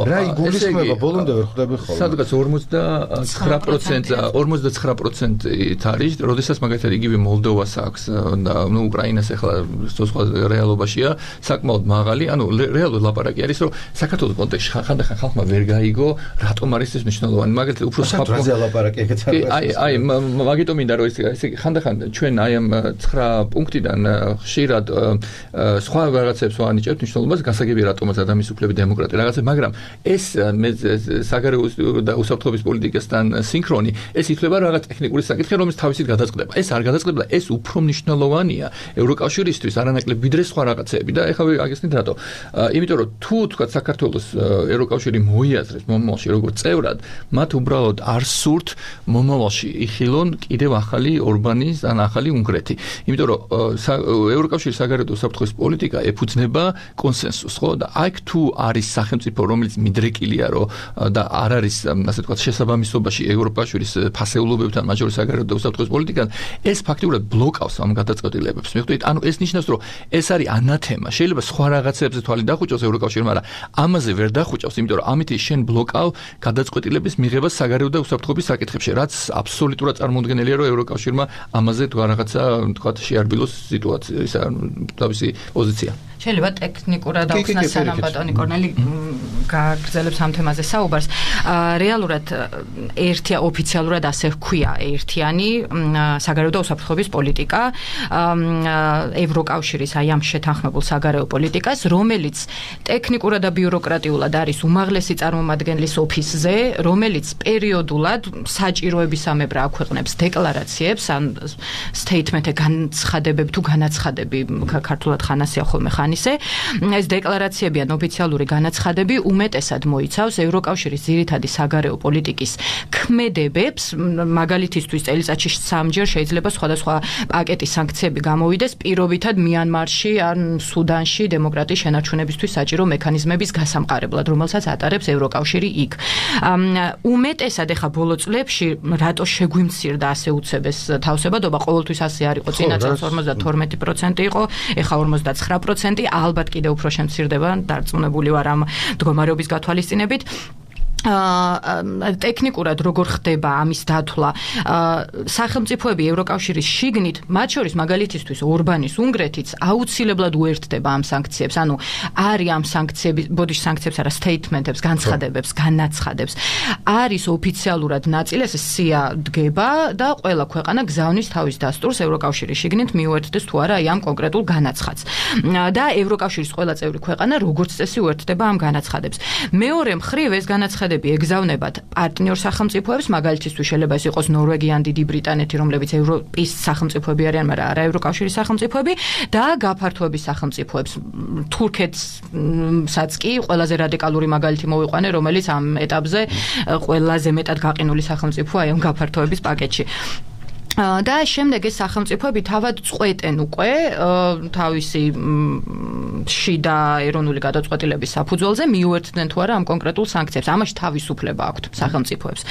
რა იგულისხმება ბოლომდე ვერ ხვდები ხოლმე სადღაც ორმოცდათხრამეტ პროცენტი ორმოცდათხრამეტ პროცენტი არის როდესაც მაგალითად იგივე მოლდოვას აქვს და ნუ უკრაინას ახლა სხვა რეალობაშია საკმაოდ მაღალი ანუ რეალურად ლაპარაკი არის რომ საქართველოს კონტექსტში ხანდახან ხალხმა ვერ გაიგო რატომ არის ეს მნიშვნელოვანი მაგალითად უფრო საფრთხეზე ლაპარაკი ეგეც არის აი აი მაგიტომ მინდა რომ ეს ხანდახან ჩვენ აი ამ ცხრა პუნქტიდან ხშირად სხვა რაღაცებს ვანიჭებთ მნიშვნელობას გასაგებია რატომაც ადამიანის უფლები დემოკრატია რაღაცა მაგრამ ეს საგარეო და უსაფრთხოების პოლიტიკასთან სინქრონი ეს ითვლება რაღაც ტექნიკური საკითხი რომელიც თავისით გადაწყდება ეს არ გადაწყდება ეს უფრო მნიშვნელოვანია ევროკავშირისთვის არანაკლებ ვიდრე სხვა რაღაცეები და ეხლა აგესნით რატო იმიტომ რომ თუ თქვა საქართველოს ევროკავშირი მოიაზრებს მომავალში როგორც წევრად მათ უბრალოდ არ სურთ მომავალში იხილონ კიდევ ახალი ორბანის ან ახალი უნგრეთი იმიტომ რომ ევროკავშირის საგარეო და უსაფრთხოების პოლიტიკა ეფუძნება კონსენსუსს ხო და აქ თუ არის სახელმწიფო რომელიც მიდრეკილია რომ და არ არის ასე ვთქვათ შესაბამისობაში ევროკავშირის ფასეულობებთან მათ შორის საგარეო და უსაფრთხოების პოლიტიკան ეს ფაქტიურად ბლოკავს ამ გადაწყვეტილებებს მიხვდით ანუ ეს ნიშნავს რომ ეს არის ანათემა შეიძლება სხვა რაღაცებზე თვალი დახუჭოს ევროკავშირმა მაგრამ ამაზე ვერ დახუჭავს იმიტომ რომ ამით შენ ბლოკავ გადაწყვეტილების მიღებას საგარეო და უსაფრთხოების საკითხებში რაც აბსოლუტურად წარმოუდგენელია რომ ევროკავშირმა ამაზე თუ რაღაცა ვთქვათ შეარბილოს სიტუაცია თავისი პოზიცია შეიძლება ტექნიკურად აუხსნას სანამ ბატონი კორნელი გაგრძელებს ამ თემაზე საუბარს რეალურად ერთია ოფიციალურად ასე ჰქვია ერთიანი საგარეო და უსაფრთხოების პოლიტიკა ევროკავშირის აი ამ შეთანხმებულ საგარეო პოლიტიკას რომელიც ტექნიკურად და ბიუროკრატიულად არის უმაღლესი წარმომადგენლის ოფისზე რომელიც პერიოდულად საჭიროებისამებრ აქვეყნებს დეკლარაციებს ან სტეითმენტი განცხადებები თუ განაცხადები ქართულად ხანასია ხოლმე ხანისე ეს დეკლარაციები ან ოფიციალური განაცხადები უმეტესად მოიცავს ევროკავშირის ძირითადი საგარეო პოლიტიკის ქმედებებს მაგალითისთვის წელიწადში სამჯერ შეიძლება სხვადასხვა პაკეტის სანქციები გამოვიდეს პირობითად მიანმარში ან სუდანში დემოკრატიის შენარჩუნებისთვის საჭირო მექანიზმების გასამყარებლად რომელსაც ატარებს ევროკავშირი იქ უმეტესად ეხა ბოლო წლებში რატო შეგვიმცირდა ასე უცებ ეს თავსებადობა ყოველთვის ასე არ იყო წინა წელს ორმოცდათორმეტი პროცენტი იყო ეხა ორმოცდაცხრა პროცენტი ალბათ კიდევ უფრო შემცირდება დარწმუნებული ვარ ამ მდგომარეობის გათვალისწინებით ტექნიკურად როგორ ხდება ამის დათვლა სახელმწიფოები ევროკავშირის შიგნით მათ შორის მაგალითისთვის ორბანის უნგრეთიც აუცილებლად უერთდება ამ სანქციებს ანუ არის ამ სანქციების ბოდიში სანქციებს არა სტეითმენტებს განცხადებებს განაცხადებს არის ოფიციალურად ნაწილი ეს სია დგება და ყველა ქვეყანა გზავნის თავის დასტურს ევროკავშირის შიგნით მიუერთდეს თუ არა აი ამ კონკრეტულ განაცხადს და ევროკავშირის ყველა წევრი ქვეყანა როგორც წესი უერთდება ამ განაცხადებს მეორე მხრივ ეს განაცხადები ეგზავნებათ პარტნიორ სახელმწიფოებს მაგალითისთვის შეიძლება ეს იყოს ნორვეგია ან დიდი ბრიტანეთი რომლებიც ევროპის სახელმწიფოები არიან მაგრამ არა ევროკავშირის სახელმწიფოები და გაფართოების სახელმწიფოებს თურქეთსაც კი ყველაზე რადიკალური მაგალითი მოვიყვანე რომელიც ამ ეტაპზე ყველაზე მეტად გაყინული სახელმწიფოა ამ გაფართოების პაკეტში და შემდეგ ეს სახელმწიფოები თავად წყვეტენ უკვე თავისი შიდა ეროვნული გადაწყვეტილების საფუძველზე მიუერთდნენ თუ არა ამ კონკრეტულ სანქციებს. ამაში თავისუფლება აქვთ სახელმწიფოებს,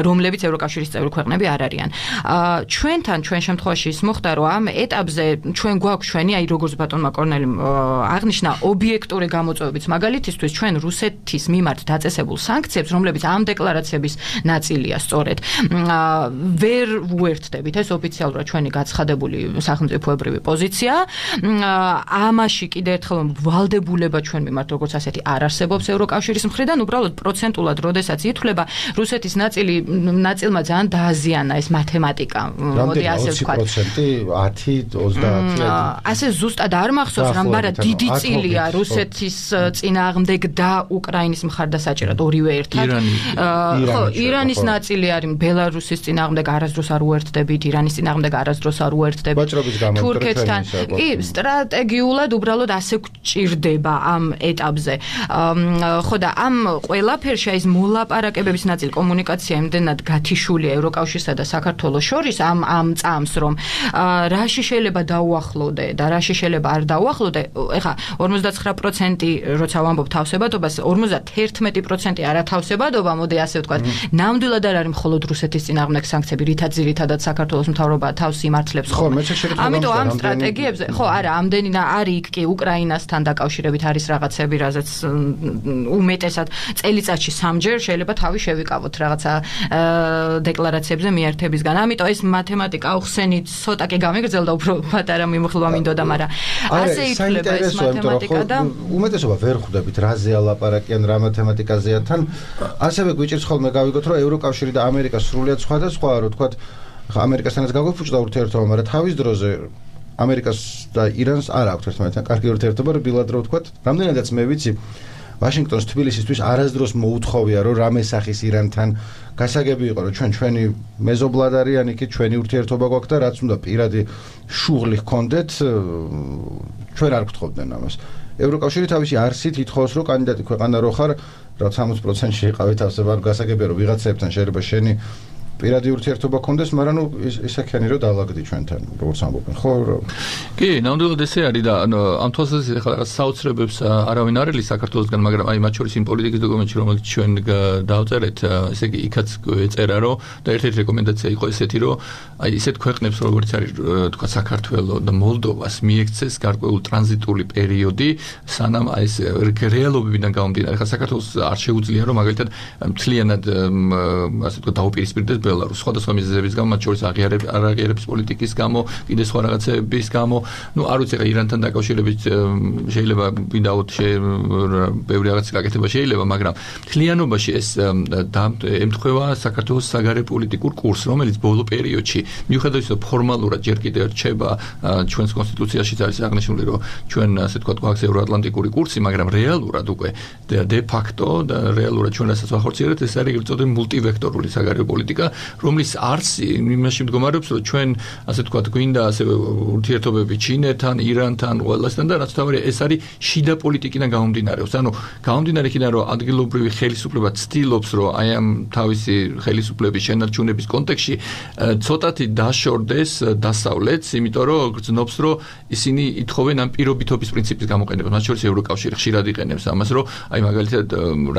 რომლებიც ევროკავშირის წევრი ქვეყნები არ არიან. ჩვენთან ჩვენ შემთხვევაში ის მოხდა, რომ ამ ეტაპზე ჩვენ გვაქვს ჩვენი, აი როგორც ბატონმა კორნელიმ აღნიშნა, ობიექტური გამოწვევებიც. მაგალითისთვის ჩვენ რუსეთის მიმართ დაწესებულ სანქციებს, რომლებიც ამ დეკლარაციების ნაწილია სწორედ, ვერ უერთდით უერთდებით. ეს ოფიციალურად ჩვენი გაცხადებული სახელმწიფოებრივი პოზიცია. ამაში კიდე ერთხელ ვალდებულება ჩვენ მიმართ როგორც ასეთი არ არსებობს ევროკავშირის მხრიდან, уბრალოდ პროცენტულად როდესაც ითვლება რუსეთის ნაწილი ნაწილმა ძალიან დააზიანა ეს მათემატიკა. მოდი ასე ვთქვა. ოცი პროცენტი, ათი, ოცდაათი. ასე ზუსტად არ მახსოვს, მაგრამ დიდი წილია რუსეთის წინააღმდეგ და უკრაინის მხარდასაჭერად ორივე ერთად. ხო, ირანის ნაწილი არის ბელარუსის წინააღმდეგ არასდროს არ უერთდებით, ირანის წინააღმდეგ არასდროს არ უერთდებით. თურქეთთან კი სტრატეგიულად უბრალოდ ასე გვჭირდება ამ ეტაპზე. ხო და ამ ყველაფერში ეს მოლაპარაკებების ნაწილი კომუნიკაცია იმდენად გათიშულია ევროკავშირსა და საქართველოს შორის ამ ამ წამს რომ რაში შეიძლება დაუახლოვდე და რაში შეიძლება არ დაუახლოვდე. ეხლა ორმოცდაცხრა პროცენტი როცა ვამბობ თავსებადობას, ორმოცდაერთმეტი პროცენტი არათავსებადობა, მოდი ასე ვთქვათ. ნამდვილად არ არის მხოლოდ რუსეთის წინააღმდეგ სანქციები, რითაც ძირითადად საქართველოს მთავრობა თავს იმართლებს. ხო, მე შეგიძლია ამიტომ ამ სტრატეგიებზე, ხო, არა, ამდენი არის იქ კი უკრაინასთან დაკავშირებით არის რაღაცები, რაზეც უმეტესად წელიწადში სამჯერ შეიძლება თავი შევიკავოთ რაღაცა დეკლარაციებზე მიერთებისგან. ამიტომ ეს მათემატიკა ახსენით ცოტა კი გამიგრძელდა, უფრო პატარა მიმოხილვა მინდოდა, მაგრამ ასე ითვლება ეს მათემატიკა და უმეტესობა ვერ ხვდებით რაზე ალაპარაკიან, რა მათემატიკაზეა თან. ასევე გვიჭირს ხოლმე გავიგოთ, რომ ევროკავშირი და ამერიკა სრულიად სხვადასხვაა, რო თქვათ, ხა ამერიკასთანაც გაგვიფუჭდა ურთიერთობა, მაგრამ თავის დროზე ამერიკას და ირანს არ აქვს ერთმანეთთან კარგი ურთიერთობა, რბილად რო ვთქვათ, რამდენადაც მე ვიცი, ვაშინგტონს თბილისისთვის არასდროს მოუთხოვია, რომ რამე სახის ირანთან გასაგები იყო, რომ ჩვენ ჩვენი მეზობლად არიან იქით, ჩვენი ურთიერთობა გვაქვს და რაც უნდა პირადი შუღლი ჰქონდეთ, ჩვენ არ გთხოვდნენ ამას. ევროკავშირი თავისი არსით ითხოვს, რომ კანდიდატი ქვეყანა რო ხარ, რაც სამოცი პროცენტში იყავით თავსება, გასაგებია, რომ ვიღაცებთან შეიძლება შენი პირადი ურთიერთობა გქონდეს, მაგრამ ნუ ისე-ქენი რომ დაალაგდი ჩვენთან, როგორც ამბობენ, ხო? კი, ნამდვილად ესე არის და ამ თვალსაზრისით ახლა რაღაც საოცრებებს არავინ არ ელის საქართველოსგან, მაგრამ აი მათ შორის იმ პოლიტიკის დოკუმენტში, რომელიც ჩვენ დავწერეთ, ესე იგი იქაც ეწერა, რომ და ერთ-ერთი რეკომენდაცია იყო ესეთი, რომ აი ისეთ ქვეყნებს, როგორც არის თქვა საქართველო და მოლდოვას მიექცეს გარკვეული ტრანზიტული პერიოდი, სანამ აი ეს რეალობებიდან გამომდინარე, ხა საქართველოს არ შეუძლია, რომ მაგალითად მთლიანად ასე თქვა დაუპირისპირდეს ბელარუსს, სხვადასხვა მიზეზების გამო, მათ შორის აღიარების არაღიარების პოლიტიკის გამო, კიდე სხვა რაღაცების გამო, ნუ არ ვიცი, ირანთან დაკავშირებით შეიძლება ვიდაოთ ბევრი რაღაცის გაკეთება შეიძლება, მაგრამ მთლიანობაში ეს ემთხვევა საქართველოს საგარეო პოლიტიკურ კურსს, რომელიც ბოლო პერიოდში, მიუხედავად იმისა, ფორმალურად ჯერ კიდევ რჩება ჩვენს კონსტიტუციაშიც არის აღნიშნული, რომ ჩვენ ასე თქვა გვაქვს ევროატლანტიკური კურსი, მაგრამ რეალურად უკვე დე ფაქტო და რეალურად ჩვენ რასაც ვახორციელებთ, ეს არის ეგრეთ წოდებული მულტივექტორული საგარეო პოლიტიკა, რომლის არსი იმაში მდგომარეობს, რომ ჩვენ ასე თქვა გვინდა ასე ურთიერთობები ჩინეთთან, ირანთან, ყველასთან და რაც თავარია ეს არის შიდა პოლიტიკიდან გამომდინარეობს. ანუ გამომდინარე იქიდან, რომ ადგილობრივი ხელისუფლება ცდილობს, რომ აი ამ თავისი ხელისუფლების შენარჩუნების კონტექსტში ცოტათი დაშორდეს დასავლეთს, იმიტომ რომ გრძნობს, რომ ისინი ითხოვენ ამ პირობითობის პრინციპის გამოყენებას, მათ შორის ევროკავშირი ხშირად იყენებს ამას, რომ აი მაგალითად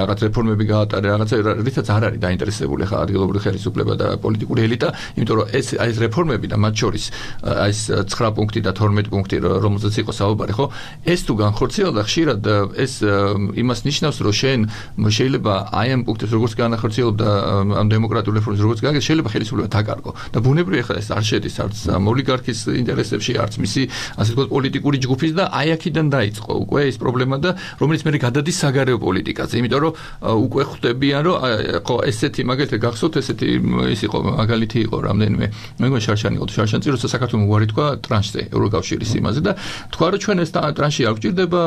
რაღაც რეფორმები გაატარა, რაღაცა რითაც არ არის დაინტერესებული ხა ადგილობრივი ხელისუფლება და პოლიტიკური ელიტა, იმიტომ რომ ეს აი ეს რეფორმები და მათ შორის აი ეს ცხრა პუნქტი და თორმეტი პუნქტი, რომელზეც იყო საუბარი, ხო? ეს თუ განხორციელდა, ხშირად ეს იმას ნიშნავს, რომ შენ შეიძლება აი ამ პუნქტებს როგორც განახორციელებ და ამ დემოკრატიულ რეფორმებს როგორც გააკეთე, შეიძლება ხელისუფლება დაკარგო. და ბუნებრივია ხა ეს არ შედის არც ოლიგარქის ინტერესებში, არც მისი ასე ვთქვათ პოლიტიკური ჯგუფის და აი აქედან დაიწყო უკვე ეს პრობლემა და რომელიც მე გადადის საგარეო პოლიტიკაზე, იმიტომ რომ უკვე ხვდებიან, რომ ხო ესეთი მაგალითად გახსოვთ ესეთი ის იყო მაგალითი იყო რამდენიმე მე მგონი შარშანი იყო შარშანწი როცა საქართველოს უარი თქვა ტრანშზე ევროკავშირის იმაზე და თქვა რომ ჩვენ ეს ტრანში არ გვჭირდება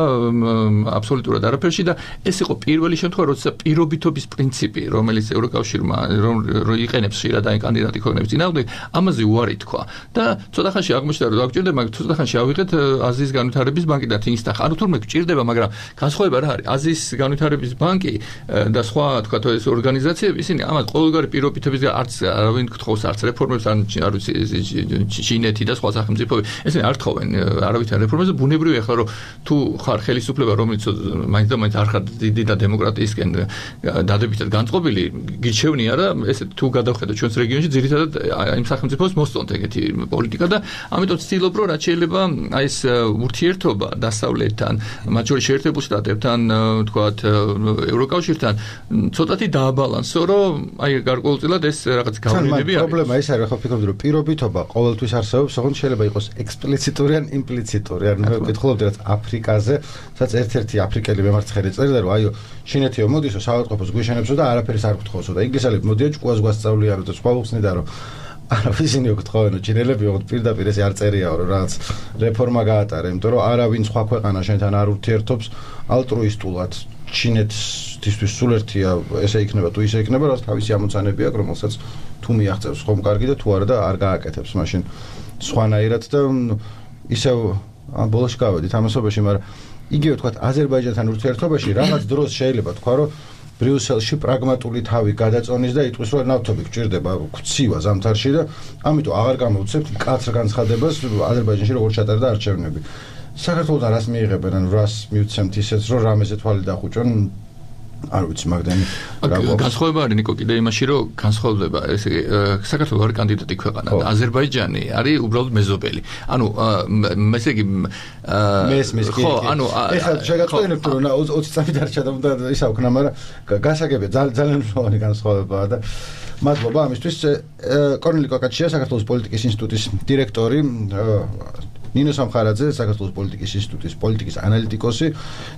აბსოლუტურად არაფერში და ეს იყო პირველი შემთხვევა როცა პირობითობის პრინციპი რომელიც ევროკავშირმა რომ იყენებს ხშირად აი კანდიდატი ქვეყნების წინააღმდეგ ამაზე უარი თქვა და ცოტა ხანში აღმოჩნდა რომ არ გვჭირდება მაგრამ ცოტა ხანში ავიღეთ აზიის განვითარების ბანკი და თინსტახ ანუ თურმე გვჭირდება მაგრამ განსხვავება რა არის აზიის განვითარების ბანკი და სხვა თქვა ეს ორგანიზაციები ისინი ამას ყოველგვარი პირობითობისგან არც არავინ გთხოვს არც რეფორმებს არ ვიცი ჩინეთი და სხვა სახელმწიფოები ესენი არ თხოვენ არავითარ რეფორმებს და ბუნებრივია ახლა რომ თუ ხარ ხელისუფლება რომელიც მაინც და მაინც არ ხარ დიდი და დემოკრატიისკენ დადებითად განწყობილი გიჩევნია რა ესე თუ გადავხედოთ ჩვენს რეგიონში ძირითადად იმ სახელმწიფოს მოსწონთ ეგეთი პოლიტიკა და ამიტომ ვცდილობ რომ რაც შეიძლება აი ეს ურთიერთობა დასავლეთთან მათ შორის შეერთებულ შტატებთან თქვათ ევროკავშირთან ცოტათი დააბალანსო რომ აი გარკვეულწილად ეს რაღაც გავლენები არის. პრობლემა ის არის, ხო ფიქრობდი რომ პირობითობა ყოველთვის არსებობს, ოღონდ შეიძლება იყოს ექსპლიციტური ან იმპლიციტური. ან მე ვკითხულობდი რაც აფრიკაზე, სადაც ერთ-ერთი აფრიკელი მემარცხენე წერდა რომ აიო ჩინეთიო მოდისო საავადმყოფოს გვიშენებსო და არაფერი არ გთხოვსო და ინგლისელები მოდიან ჭკუას გვასწავლიან და სხვა უხსნიდა რომ არა ისინი გთხოვენ ჩინელები ოღონდ პირდაპირ ეს არ წერიაო რომ რაღაც რეფორმა გაატარე, იმიტომ რომ არავინ სხვა ქვეყანა შენთან არ ურთიერთობს ალტრუისტულად ჩინეთისთვის სულ ერთია ესე იქნება თუ ისე იქნება, რაც თავისი ამოცანები აქვს, რომელსაც თუ მიაღწევს ხომ კარგი და თუ არა და არ გააკეთებს მაშინ სხვანაირად და ისევ ამ ბოლოში გავედით ამასობაში, მაგრამ იგივე თქვა აზერბაიჯანთან ურთიერთობაში რაღაც დროს შეიძლება თქვა რომ ბრიუსელში პრაგმატული თავი გადაწონის და იტყვის რომ ნავთობი გჭირდება ქცივა ზამთარში და ამიტომ აღარ გამოვცემთ მკაცრ განცხადებას აზერბაიჯანში როგორ ჩატარდა არჩევნები. საქართველოსთან რას მიიღებენ, ანუ რას მივცემთ ისეც რომ რამეზე თვალი დახუჭონ არ ვიცი მაგდანი განსხვავება არის ნიკო კიდე იმაში რომ განსხვავდება ესე იგი საქართველოს არის კანდიდატი ქვეყანა და აზერბაიჯანი არის უბრალოდ მეზობელი. ანუ ესე იგი მესმის კი. ხო, ანუ ეხლა შეგაწყვეტინებთ რომ ოცი წამი დარჩა და უნდა ისა ვქნა, მაგრამ გასაგებია ძალიან მნიშვნელოვანი განსხვავებაა და მადლობა ამისთვის. კორნელი კოკაჩია, საქართველოს პოლიტიკის ინსტიტუტის დირექტორი, ნინო სამხარაძე, საქართველოს პოლიტიკის ინსტიტუტის პოლიტიკის ანალიტიკოსი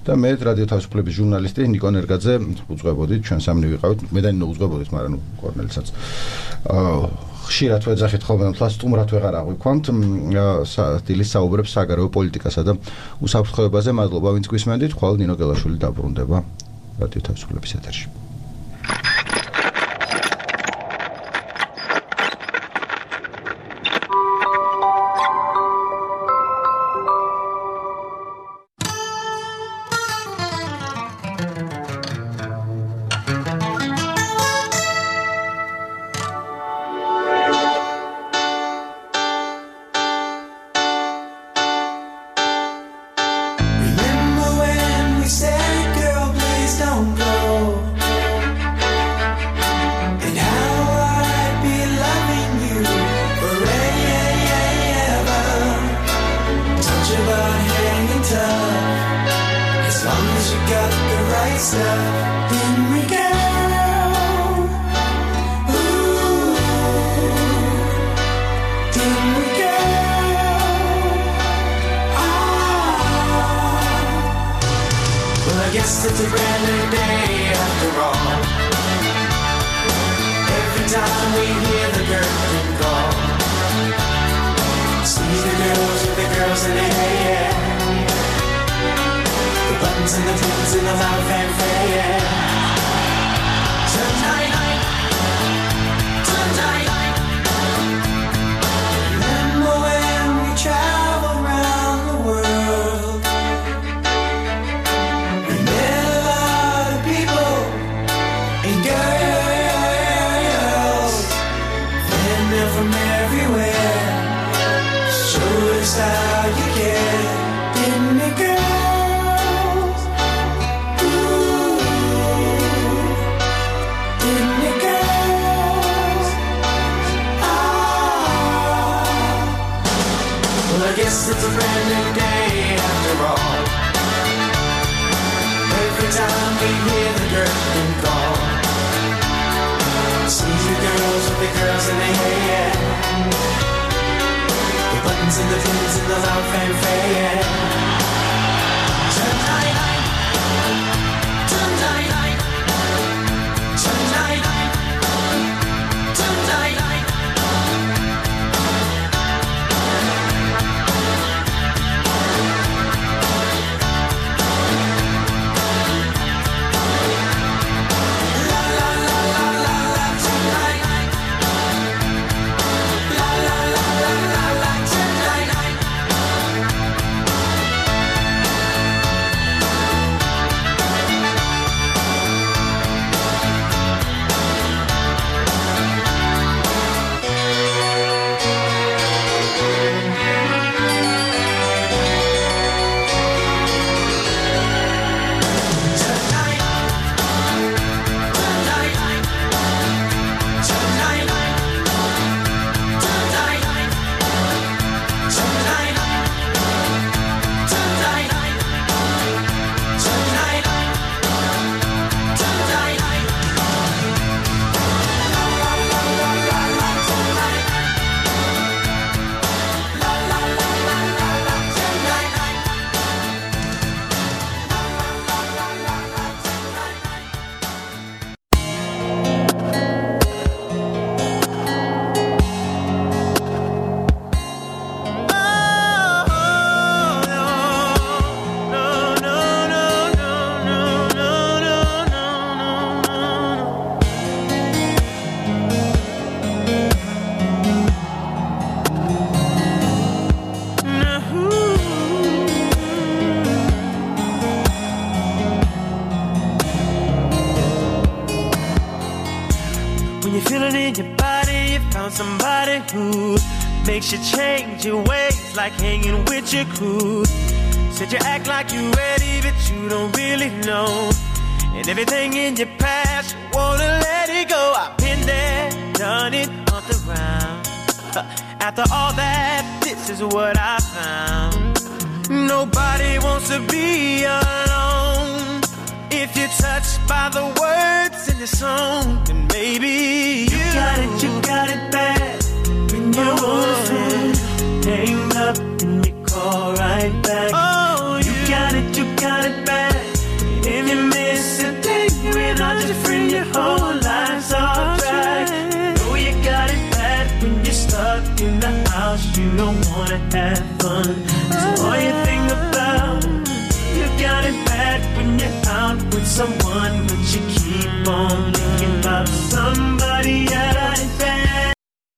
და მე რადიო თავისუფლების ჟურნალისტი ნიკო ნერგაძე ვუძღვებოდით, ჩვენ სამნი ვიყავით, მე და ნინო ვუძღვებოდით, მაგრამ ნუ კორნელსაც ხშირად ვეძახით ხოლმე, თლა სტუმრად ვეღარ აღვიქვამთ, დილის საუბრებს საგარეო პოლიტიკასა და უსაფრთხოებაზე. მადლობა ვინც გვისმენდით, ხვალ ნინო გელაშვილი დაბრუნდება რადიო თავისუფლების ეთერში. somebody who makes you change your ways, like hanging with your crew. Said you act like you're ready, but you don't really know. And everything in your past, you wanna let it go. I've been there, done it, on the round. After all that, this is what I found. Nobody wants to be alone. If you're touched by the words in the song, then maybe you, you got it, you got it bad. When you want hang up and you call right back. Oh, you, you got it, you got it bad. If you miss a thing without your friend, your whole life's off track. Know you got it bad when you're stuck in the house. You don't wanna have fun. So all you think about, you got it bad when you're out with someone, but you keep on thinking about somebody else.